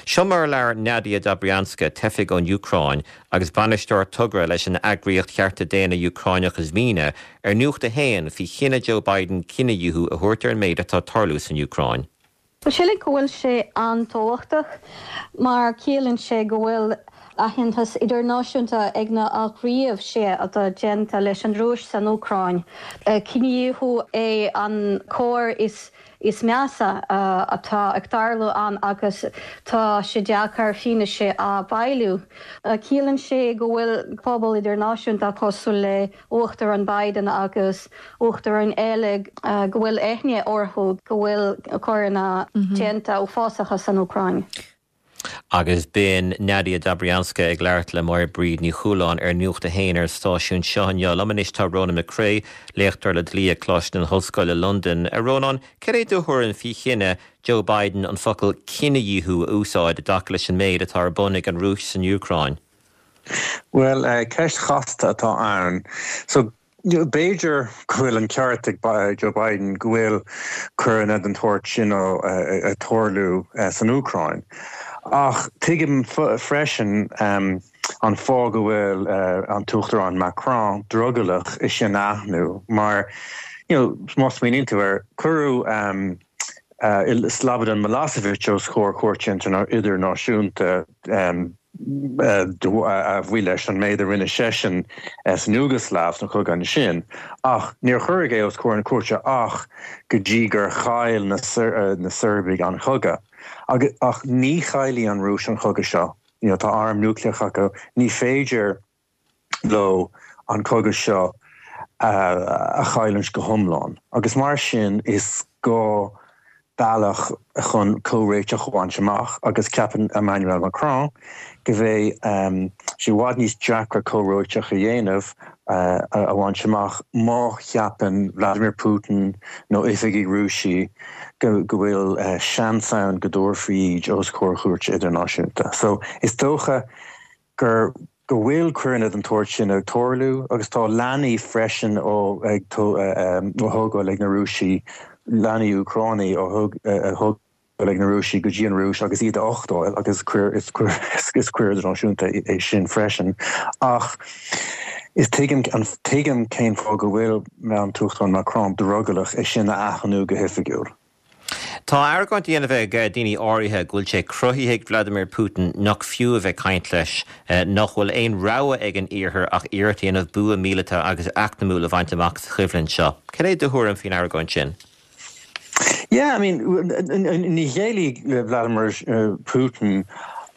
Seo mar a labhair Nadia Dobrianska, teifigh ón Úcráin agus bainisteoir togra leis an eagraíocht chearta daonna Úcráineach Zmina, ar Nuacht a Haon faoi chinneadh Joe Biden cinedhíothú a thabhairt ar an méid atá ag tarlú san Úcráin. Bhuel, sílim go bhfuil sé an-tábhachtach mar ciallaíonn sé go bhfuil aitheantas idirnáisiúnta ag na ghníomh atá déanta leis an Rúis san Úcráin. Cinedhíothú é an coir is is measa atá ag tarlú ann agus tá sé deacair fianaise a bhailiú. Ciallaíonn sé go bhfuil pobal idirnáisiúnta cosúil le Uachtarán Biden agus uachtaráin eile go bhfuil aithne orthu go bhfuil coireanna déanta uafásacha san Úcráin. Agus b'in Nadia Dobrianska ag labhairt le Máire Bríd Ní Chualáin ar Nuacht a hAon ar an stáisiún seo inniu. Liom anois tá Rónán Mac Craith, léachtóir le dlí ag Coláiste na hOllscoile, Londain. A Rónáin, cad é do thuairim faoi chinneadh Joe Biden an focal cinedhíothú a úsáid i dtaca leis an méid atá ar bun ag an Rúis san Úcráin? Bhuel, ceist chasta atá ann. So, b'fhéidir go bhfuil an ceart ag Joe Biden go bhfuil coireanna den tsórt sin ag tarlú san Úcráin. Ach tuigim freisin an fáth go bhfuil an tUachtarán Macron drogallach é sin a aithniú mar, you know, má smaoiníonn tú air, cuireadh Slobodan Milosevic os comhair cúirte idirnáisiúnta a bhuí leis an méid a rinne seisean san Iúgaslaiv sa chogadh ansin, ach níor cuireadh é os comhair na cúirte ach go dtí gur chaill na Seirbiaigh an cogadh. Ach ní chaillfidh an Rúis an cogadh seo. Tá arm núicléach acu. Ní féidir leo an cogadh seo a chailliúint go hiomlán agus mar sin is gá bealach chun comhréiteach a bhaint amach agus ceapann Emmanuel Macron go mbeidh sé i bhfad níos deacra comhréiteach a dhéanamh a bhaint amach má cheapann Vladimir Putin nó oifigigh Rúisigh go bhfuil seans ann go dtabharfaí iad os comhair chúirte idirnáisiúnta. So is dócha gur go bhfuil coireanna den tsórt sin ag tarlú agus tá leanaí freisin á thógáil ag na Rúisigh, leanaí Úcránaigh á thógáil ag na Rúisigh go dtí an Rúis agus iad a uchtáil agus is coir idirnáisiúnta é sin freisin. Ach is tuigim tuigim cén fáth go bhfuil an tUachtarán Macron drogallach é sin a aithniú go hoifigiúil. Tá argóint á dhéanamh ag daoine áirithe go bhfuil sé cruthaithe ag Vladimir Putin nach fiú a bheith ag caint leis, nach bhfuil aon rogha ag an Iarthar ach iarracht a dhéanamh bua míleata agus eacnamúil a bhaint amach sa choimhlint seo. Cad é do thuairim faoin argóint sin? Yeah, I mean, ní ghéillfidh Vladimir Putin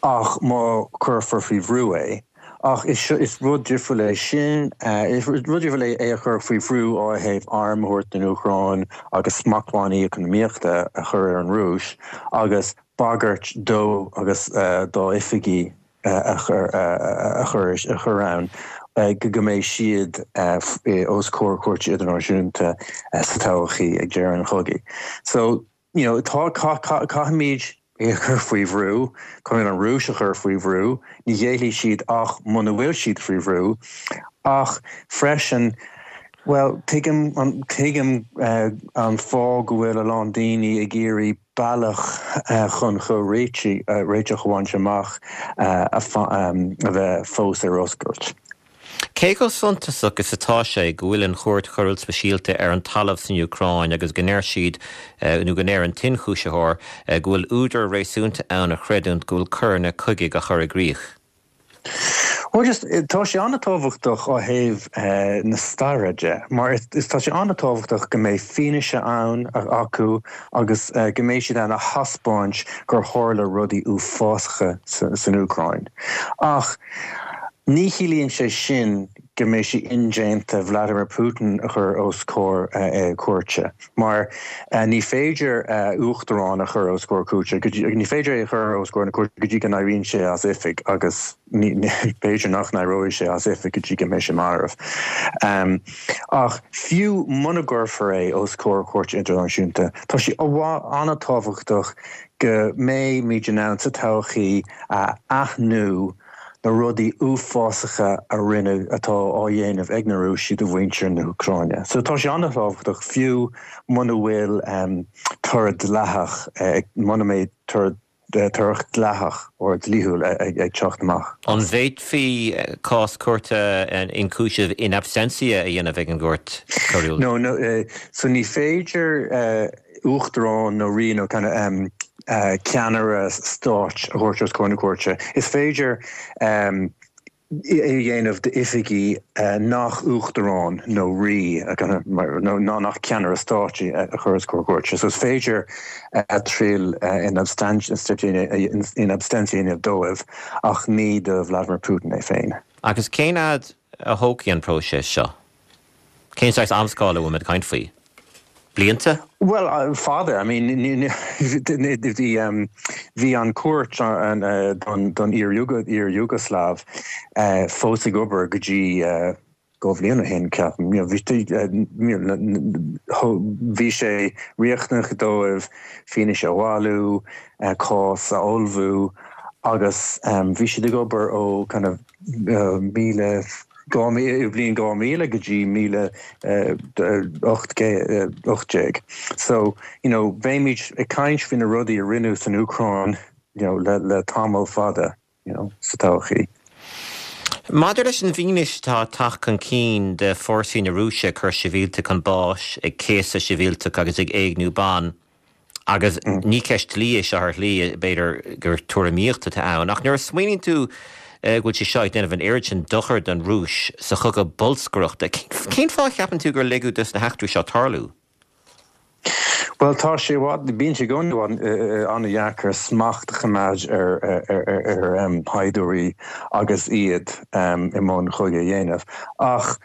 ach má cuirfear faoi bhrú é. Ach is rud difriúil é sin, is rud difriúil é é a chur faoi bhrú ó thaobh airm a thabhairt don Úcráin agus smachtbhannaí eacnamaíochta a chur ar an Rúis agus bagairt dó agus dá oifigigh a chur ann go mbeidh siad os comhair cúirte idirnáisiúnta sa todhchaí ag deireadh an chogaidh. So. you know, tá, caithfimid é a chur faoi bhrú, caithfimid an Rúis a chur faoi bhrú, ní ghéillfidh siad ach muna bhfuil siad faoi bhrú. Ach freisin, bhuel, tuigim, tuigim an fáth go bhfuil a lán daoine ag iarraidh bealach chun chomhréitigh, réiteach a bhaint amach a bheith fós ar oscailt. Cé chomh suntasach is atá sé go bhfuil an Chúirt Choiriúil Speisialta ar an talamh san Úcráin agus go ndeir siad, nó go ndeir an t-ionchúisitheoir, go bhfuil údar réasúnta ann a chreidiúint go bhfuil coireanna cogaidh á chur i gcrích? Bhuel, just, tá sé an-tábhachtach ó thaobh na staire de, mar is tá sé an-tábhachtach go mbeidh fianaise ann acu agus go mbeidh siad in ann a thaispeáint gur tharla rudaí uafásacha san Úcráin. Ach Ní chiallaíonn sé sin go mbeidh sé indéanta Vladimir Putin a chur os comhair cúirte, mar ní féidir uachtarán a chur os comhair cúirte, ní féidir é a chur os comhair na cúirte go dtí go n-éiríonn sé as oifig agus b'fhéidir nach n-éireoidh sé as oifig go dtí go mbeidh sé marbh. Ach fiú muna gcuirfear é os comhair Chúirte Idirnáisiúnta, tá sé an-tábhachtach go mbeimid in ann sa todhchaí a aithniú na rudaí uafásacha a rinneadh, atá á dhéanamh ag na Rúisigh do mhuintir na hÚcráine. So tá sé an-tábhachtach, fiú muna bhfuil toradh dleathach, muna mbeidh toradh toradh dleathach or dlíthiúil ag teacht amach. An bhféadfaí cás cúirte ionchúiseamh in absentia a dhéanamh ag an gCúirt Choiriúil? No, no, so ní féidir uachtarán nó rí nó kind of ceannaire stáit a thabhairt os comhair na cúirte. Is féidir é a dhéanamh d'oifigigh nach uachtarán nó rí nó nach ceannaire stáit a chur os comhair cúirte. So is féidir triail in absentia a dhéanamh dóibh ach ní do Vladimir Putin é féin. Agus cén fhad a thógfaidh an próiseas seo? Cén saghas amscála a bhfuil muid ag caint faoi? Blianta? Bhuel, fada. I mean, bhí an chúirt don iar-Iúgaslaiv fós ag obair go dtí 2 bhliain ó shin, ceapaim. Bhí sé riachtanach dóibh fianaise a bhailiú, cás a ullmhú agus bhí siad ag obair ó kind of 1000, bliain 2000 go dtí 2018. So, you know, beimid ag caint faoi na rudaí a rinneadh san Úcráin, you know, le, le tamall fada, you know, sa todhchaí. Maidir leis an bhfianaise atá ag teacht chun cinn de fórsaí na Rúise ag cur sibhialtaigh chun báis, ag céasadh sibhialtach agus ag éigniú ban, Agus ní ceist dlí é seo ar shlí, b'fhéidir gur tuairimíocht atá ann, ach nuair a smaoiníonn tú go bhfuil sé seo ag déanamh an oiread sin dochair don Rúis sa chogadh bolscaireachta, cén fáth a cheapann tú gur ligeadh dos na heachtraí seo tarlú? Bhuel, tá sé i bhfad, bíonn sé i gcónaí an-deacair smacht a choimeád ar shaighdiúirí agus iad i mbun cogadh a dhéanamh. Ach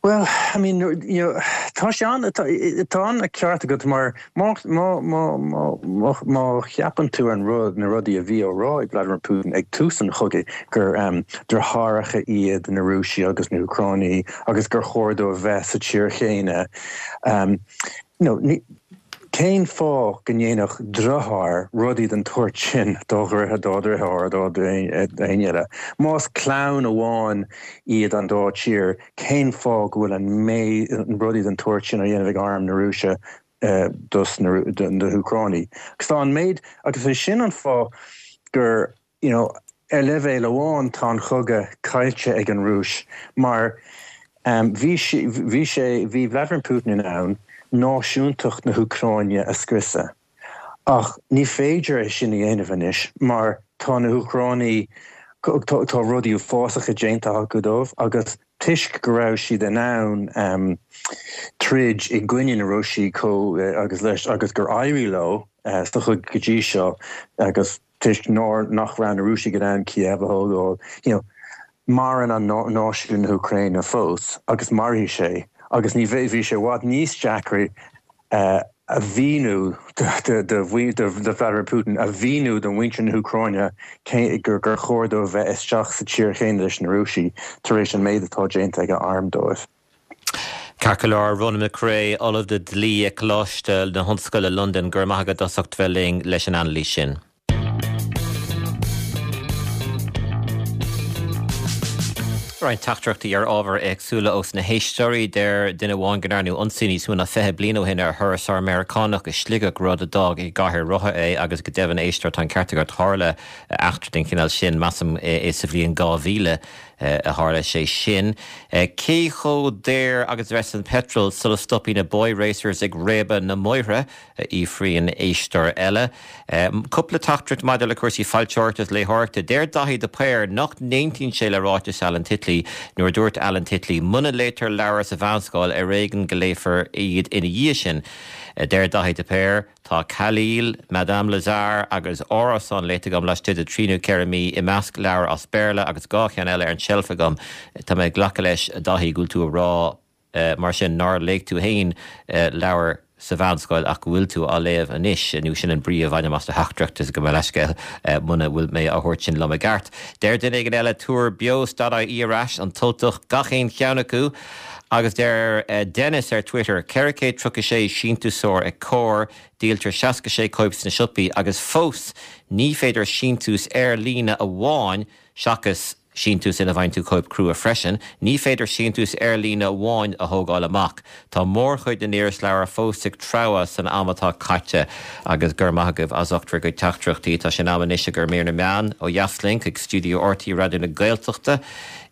Bhuel, I mean, you know, tá sé an, tá, tá an ceart agat mar má, má, má, má, má, má cheapann tú an rud, na rudaí a bhí á rá ag Vladimir Putin ag tús an chogaidh, gur um, deartháireacha iad na Rúisigh agus na hÚcránaigh agus gur chóir dóibh bheith sa tír chéanna, um, you know, ní, cén fáth go ndéanfadh deartháir rudaí den tsórt sin dá dheartháir, dá dheartháir, dá éinne eile? Más clann amháin iad an dá tír, cén fáth go bhfuil an méid rudaí den tsórt sin á dhéanamh ag arm na Rúise dos na hÚcránaigh? Agus tá an méid, agus é sin an fáth gur, you know, ar leibhéal amháin tá an chogadh caillte ag an Rúis mar bhí bhí sé, bhí Vladimir Putin in ann náisiúntacht na hÚcráine a scriosadh. Ach ní féidir é sin a dhéanamh anois mar tá na hÚcránaigh, tá rudaí uafásacha déanta acu dóibh agus toisc go raibh siad in ann troid i gcoinne na Rúisigh chomh agus leis agus gur éirigh leo sa chogadh go dtí seo agus toisc nár nach raibh na Rúisigh in ann Kiev a thógáil, you know, maireann an náisiún na hÚcráine fós agus mairfidh sé agus ní bheidh bhí sé i bhfad níos deacra a mhíniú do Vladimir Putin, a mhíniú do mhuintir na hÚcráine gur chóir dóibh bheith isteach sa tír chéanna leis na Rúisigh tar éis an méid atá déanta ag a arm dóibh. Ceart go leor, Ronan McCrea, Ollamh le Dlí ag Coláiste na hOllscoile Londain, go raibh maith agat as ucht bheith linn leis an anailís sin. Roinnt teachtaireachtaí ar ábhair éagsúla ós na héisteoirí. Deir duine amháin go ndearnadh ionsaí níos mó ná 20 bliain ó shin ar thurasóir Meiriceánach i Sligeach, rud a d'fhág i gcathaoir rotha é agus go deimhin, a éisteoir, tá an ceart agat, tharla eachtra den chineál sin, measaim, sa bhliain 2000 a tharla sé sin. Cé chomh daor agus a bheas an petrol sula stopfaidh na boy racers ag réabadh na mbóithre? a fhiafraíonn éisteoir eile. Cúpla teachtaireacht maidir le cúrsaí foilsitheoireachta is léitheoireachta. Deir Daithí de Paor nach n-aontaíonn sé le ráiteas Alan Titley nuair a dúirt Alan Titley, Muna léitear leabhair sa mheánscoil, ar éigean go léifear iad ina dhiaidh sin. Deir Daithí de Paor, Tá Khalil, Madame Lazare agus Árasán léite agam laistigh de thrí nó ceithre mí, i measc leabhar as Béarla agus 2 cheann eile ar an tseilf agam. Tá mé ag glacadh leis, a Dhaithí, go bhfuil tú a rá, Mar sin, nár léigh tú fhéin leabhar sa mheánscoil ach go bhfuil tú á léamh anois, nó sin an brí a bhainim as do theachtaireacht, is gabh mo leithscéal muna bhfuil mé á thabhairt sin liom i gceart. Deir duine éigin eile, tabhair beo.ie ar ais, an tUltach, gach aon cheann acu! Agus deir Dennis ar Twitter, 436 síntiúsóir ag Comhar, díoltar 66 cóip sna siopaí agus fós ní féidir síntiús ar líne amháin seachas síntiús ina bhfaigheann tú cóip crua freisin. Ní féidir síntiús ar líne amháin a thógáil amach. Tá mórchuid na n-irisleabhar fós ag treabhadh san am atá caite agus go raibh maith agaibh as ucht bhur gcuid teachtaireachtaí. Tá sé in am anois ag mír na meán ó dheas linn chuig stiúideo RTÉ Raidió na Gaeltachta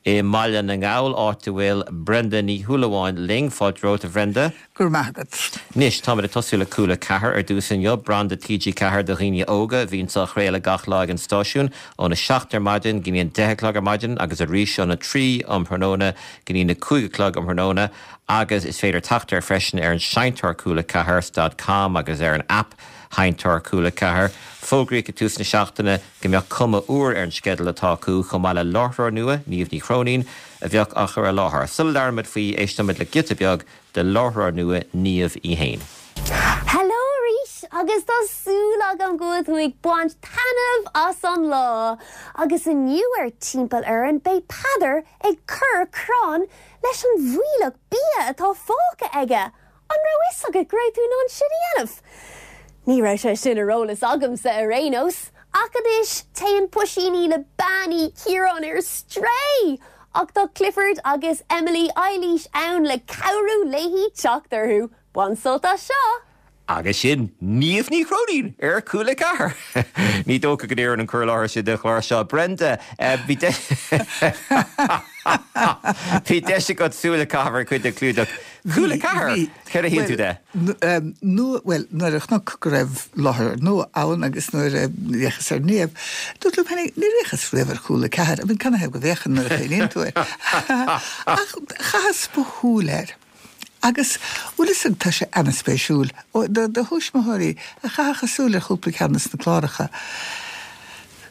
i mBaile na nGall, áit a bhfuil Brenda Ní Shúilleabháin linn. Fáilte romhat, a Bhrenda. Go raibh maith agat. Anois, táimid ag tosú le Cúla 4 ar dtús inniu, branda TG4 do dhaoine óga a bhíonns á chraoladh gach lá ag an stáisiún, óna 7 ar maidin go dtí an 10 a chlog ar maidin agus arís óna 3 um thráthnóna go dtí na 5 a chlog um thráthnóna agus is féidir teacht air freisin ar an seinnteoir Cúla 4 dot com agus ar an aip sheinnteoir Cúla 4. Fógraíodh ag tús na seachtaine go mbeadh cuma úr ar an sceideal atá acu chomh maith le láithreoir nua, Niamh Ní Chróinín, a bheadh á chur i láthair. Sula labhraímid faoi, éistfimid le giota beag de láithreoir nua Niamh í fhéin. Hello arís agus tá súil agam go bhfuil tú ag baint taitneamh as an lá! Agus inniu ar Timpeall Orainn beidh Peadar ag cur crann leis an bhfuílleach bia atá fágtha aige! An raibh fhios agat go raibh tú in ann sin a dhéanamh? Ní raibh sé sin ar eolas agamsa ar aon nós! Ach anois téann Puisíní le Bean Uí Chiaráin ar strae! Ach tá Clifford agus Emily Eilís ann le cabhrú léi teacht orthu. Bain sult as seo! Agus sin Niamh Ní Chróinín ar Cúla 4! Ní dócha go n-oireann an cur i láthair sin don chlár seo. Brenda, bhí deis bhí deis agat súil a chaitheamh ar chuid de chlúdach Cúla 4! Céard a shíl tú de? Nua, bhuel, nuair a chonac go raibh láithreoir nua ann agus nuair a d'fhéachas ar Niamh, dúrt liom féinig, níor fhéachas riamh ar Chúla 4, I mean, canathaobh go bhféachfainn nuair a chuimhníonn tú air? Ach chaitheas mo shúil air. Agus, bhfuil fhios agat, tá sé ana-spéisiúil, do do thuismitheoirí a chaithfeadh a súil ar chúpla ceann de na cláracha,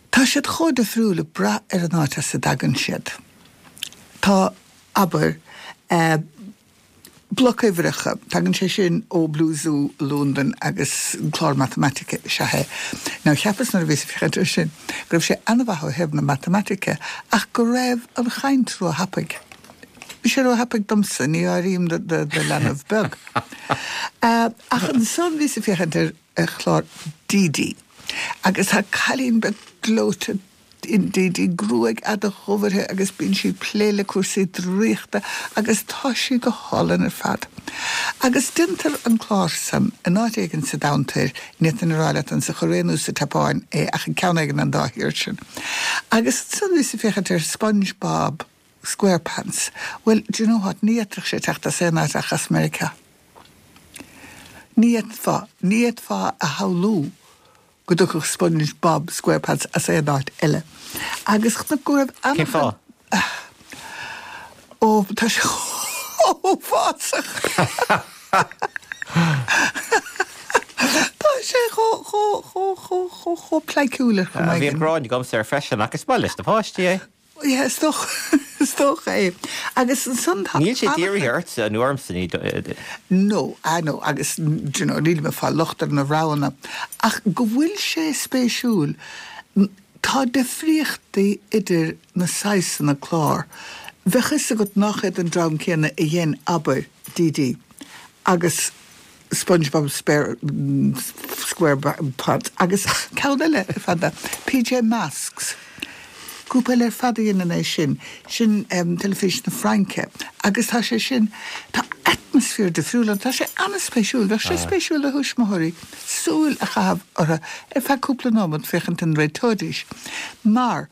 tá siad chomh difriúil ag brath ar an áit as a dtagann siad. Tá, abair, eh, Bloc-uimhreacha, tagann sé sin ó Blue Zoo i Londain agus clár matamaitice is ea é. Now cheapas nuair a bhíos ag féachaint air sin go raibh sé an-mhaith ó thaobh na matamaitice ach go raibh an chaint ró-thapaidh. Bhí sé ró-thapaidh domsa, ní áirím do leanbh beag. Ach ansan bhíos ag féachaint ar chlár Dee Dee agus tá cailín beag gleoite in Dee Dee, gruaig fhada dhubh uirthi agus bíonn sí ag plé le cúrsaí draíochta agus tá sí go hálainn ar fad. Agus déantar an clár san in áit éigin sa domhan toir, ní fhéadfainn a rá leat an sa Chóiré nó sa tSeapáin é ach i gceann éigin den dá thír sin. Agus ansan bhíos ag féachaint ar SpongeBob Squarepants. Bhuel, do you know what, ní fhéadfadh sé teacht as aon áit ach as Meiriceá. Ní fhéadfá, ní fhéadfá a shamhlú. go dtiocfadh SpongeBob SquarePants as aon áit eile. Agus chonac go raibh Cén an-chuid. fáth? Ó, tá sé chomh huafásach. Tá sé chomh, chomh, chomh, chomh, chomh, chomh pleidhciúil ar chuma Bhí an éigin. ghráin agamsa air freisin ach is maith leis na páistí é. Yeah, is dócha, is dócha é. Agus ansan tá Níl sé dírithe ortsa nó ormsa, ní. No, ah no, agus, do you know, nílim ag fáil locht ar na roghanna. Ach go bhfuil sé spéisiúil, tá difríochtaí idir na saghsanna clár. Bheadh fhios agat nach iad an dream céanna a dhein, abair, DD agus SpongeBob SquarePants agus ceann eile ar fad, PJ Masks. Grúpa eile ar fad a dhéanann é sin, sin teilifís na Fraince agus tá sé sin, tá atmaisféar difriúil ann, tá sé an-spéisiúil, bheadh sé spéisiúil do thuismitheoirí súil a chaitheamh orthu ar feadh cúpla nóiméad féachaint an réiteoidís mar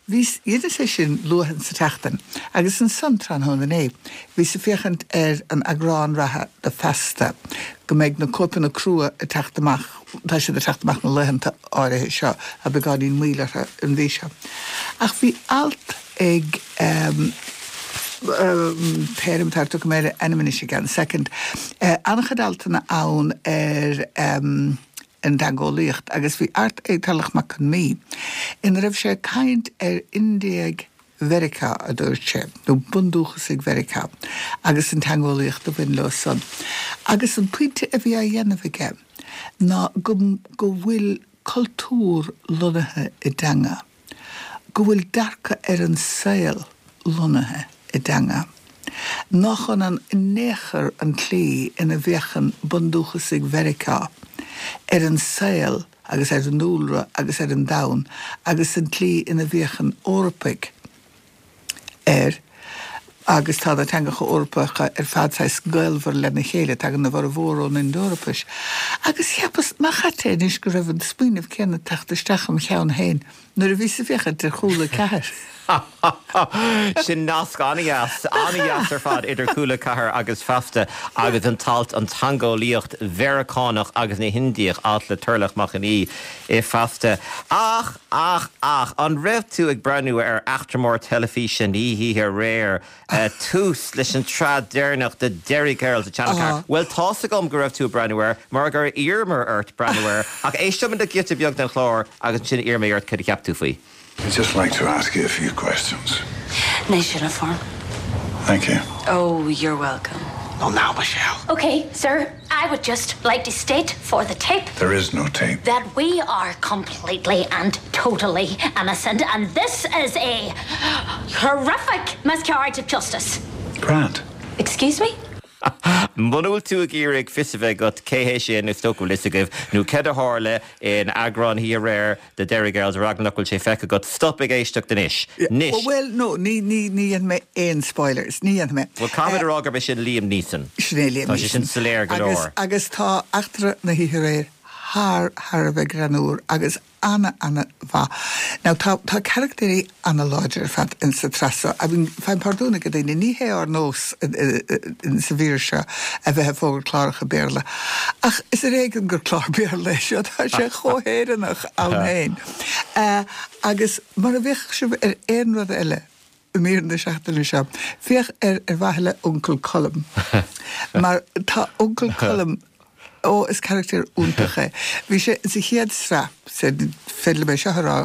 Bhíos, dheineas é sin luath insa tseachtain, agus ansan, tráthnóna inné, bhíos ag féachaint ar an eagrán reatha de Feasta, go mbeidh na cóipeanna crua ag teacht amach, tá siad ag teacht amach na laethanta áirithe seo, tá beagáinín moill orthu an mhí seo. Ach bhí alt ag ehm, pé ar atá, tiocfaidh mé ar a ainm anois i gceann soicind, an-chuid altanna ann ar ehm, an dteangeolaíocht agus bhí alt ag Tarlach Mac Con Midhe ina raibh sé ag caint ar Indiaigh Mheiriceá, a dúirt sé, nó bundúchasaigh Mheiriceá agus an teangeolaíocht a bhain leo san. Agus an pointe a bhí á dhéanamh aige ná go go bhfuil cultúr lonnaithe i dteanga. go bhfuil dearcadh ar an saol lonnaithe i dteanga, nach ionann in aon chor an tslí ina bhféachann bundúchasaigh Mheiriceá ar an saol agus ar an ndúlra agus ar an domhan agus an tslí ina bhféachann Eorpaigh air agus tá na teangacha Eorpacha ar fad saghas gaolmhar lena chéile, tagann a bhformhór ón Ind-Eorpais. Agus cheapas, nach ait é anois go raibh an smaoineamh céanna ag teacht isteach im cheann féin nuair a bhíos ag féachaint ar Chúla 4. Sin nasc an-dheas, an-dheas ar fad idir Cúla 4 agus Feasta agus an t-alt 'An Teangeolaíocht Mheiriceánach agus na hIndiach', alt le Turlough Mac Con Aoidh i Feasta. Ach! Ach, ach, an raibh tú ag breathnú ar eachtra mór teilifíse na hoíche aréir, tús leis an tsraith deireanach de Derry Girls ar Channel 4? Bhuel, tá's agam go raibh tú ag breathnú air, mar gur iarramar ort breathnú air, ach éisteoimid le giota beag den chlár agus ansin iarrfaidh mé ort cad a cheap tú faoi. I'd just like to ask you a few questions. Nice uniform. Thank you. Oh, you're welcome. Oh, now, Michelle. Okay, sir, I would just like to state for the tape. There is no tape. That we are completely and totally innocent and this is a horrific miscarriage of justice. Grant. Excuse me? Muna bhfuil tú ag iarraidh fios a bheith agat cé hé sin, is dócha go bhfuil fhios agaibh, nó céard a tharla in eagrán na hoíche aréir de Derry Girls, ar eagla nach bhfuil sé feicthe agat, stop ag éisteacht anois. Anois! Bhuel, no, ní, ní, ní dhéanfaidh mé aon spoilers, ní dhéanfaidh mé. Bhuel, caithfimid a rá gurb é sin Liam Neeson. Sin é Liam Tá sé sin Neeson. soiléir go Agus, leor. agus tá eachtra na hoíche aréir thar, thar a bheith greannmhar agus ana, ana mhaith. Now, tá, tá carachtéirí ana láidir ar fad in sa tsraith seo. I mean, faighim pardún ag daoine, ní hé ár nós in sa mhír seo a bheith ag fógairt cláracha Béarla. Ach is ar éigean gur clár Béarla é seo, tá sé chomh hÉireannach ann féin. Agus mura bhféachfadh sibh ar aon rud eile i mír na seachtaine seo, féach ar ar mhaithe le Uncail Colm. Mar tá Uncail Colm, ó, is carachtar iontach é. Bhí sé sa chéad sraith, féidir liom é seo a rá,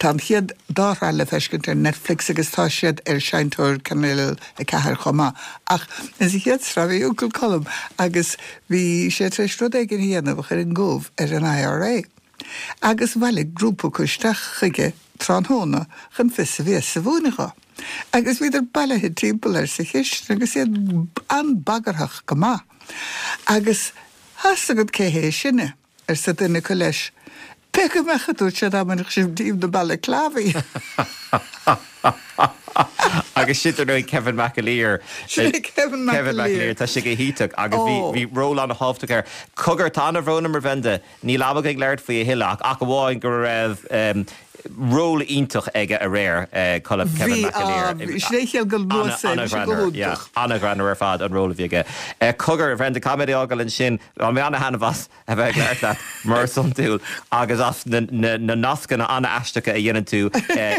tá an chéad dá shraith le feiscint ar Netflix agus tá siad ar seinnteoir Cainéal 4 chomh maith. Ach sa chéad sraith bhí Uncail Colm agus bhí sé tar éis rud éigin a dhéanamh a chuir an gomh ar an IRA. Agus bhailigh grúpa acu isteach chuige tráthnóna chun fios a bhéas a mhúineadh dho. Agus bhíodar bailithe timpeall air sa chistin agus iad an-bagarthach go maith. Agus tá's agat cé hé sinne, arsa duine acu leis. Pé go mbeadh, a dúirt sé, dá mbainfeadh sibh díom na balaclavaí. Agus sin dar ndóigh Kevin McAleer. Sin é Kevin McAleer. Kevin McAleer, tá sé go hiontach agus bhí bhí ról an-thábhachtach air. Cogar, tá an-bhrón orm a Bhrenda, níl am againn labhairt faoi a thuilleadh ach ach amháin go raibh. Ról iontach aige aréir, Colm, Kevin Bhí, McAleer. bhí, sin é a shíl go luas é, bhí sé go hiontach. Ana-ghreannmhar ar fad an ról a bhí aige. Cogar, a Bhrenda, caithfidh mé é a fhágáil ansin, bhain mé ana-thaitneamh as a bheith ag labhairt leat mar is iondúil agus as na nascanna ana-aisteacha a dhéanann tú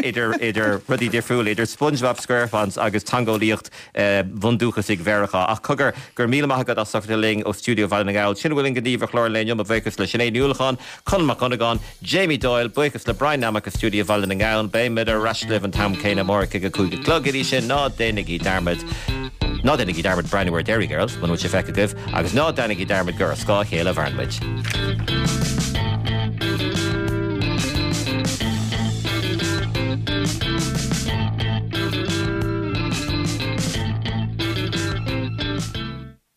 idir idir rudaí difriúla, idir SpongeBob SquarePants agus teangeolaíocht bhundúchasaigh Mheiriceá. Ach cogar, go raibh míle maith agat as ucht a bheith linn ó stiúideo Bhaile na nGall. Sin a bhfuil againn daoibh ar chlár an lae inniu, mo bhuíochas le Sinéad Ní Uallacháin, Conall Mac Dhonnagáin, Jamie Doyle, buíochas le Brian Nammock i stiúideo Bhaile na nGall. Beimid ar ais libh an t-am céanna amárach ag a 5 a chlog. Go dtí sin, ná déanaigí dearmad, ná déanaigí dearmad breathnú ar Derry Girls, muna bhfuil sé feicthe agaibh, agus ná déanaigí dearmad gur ar scáth a chéile a mhaireann muid.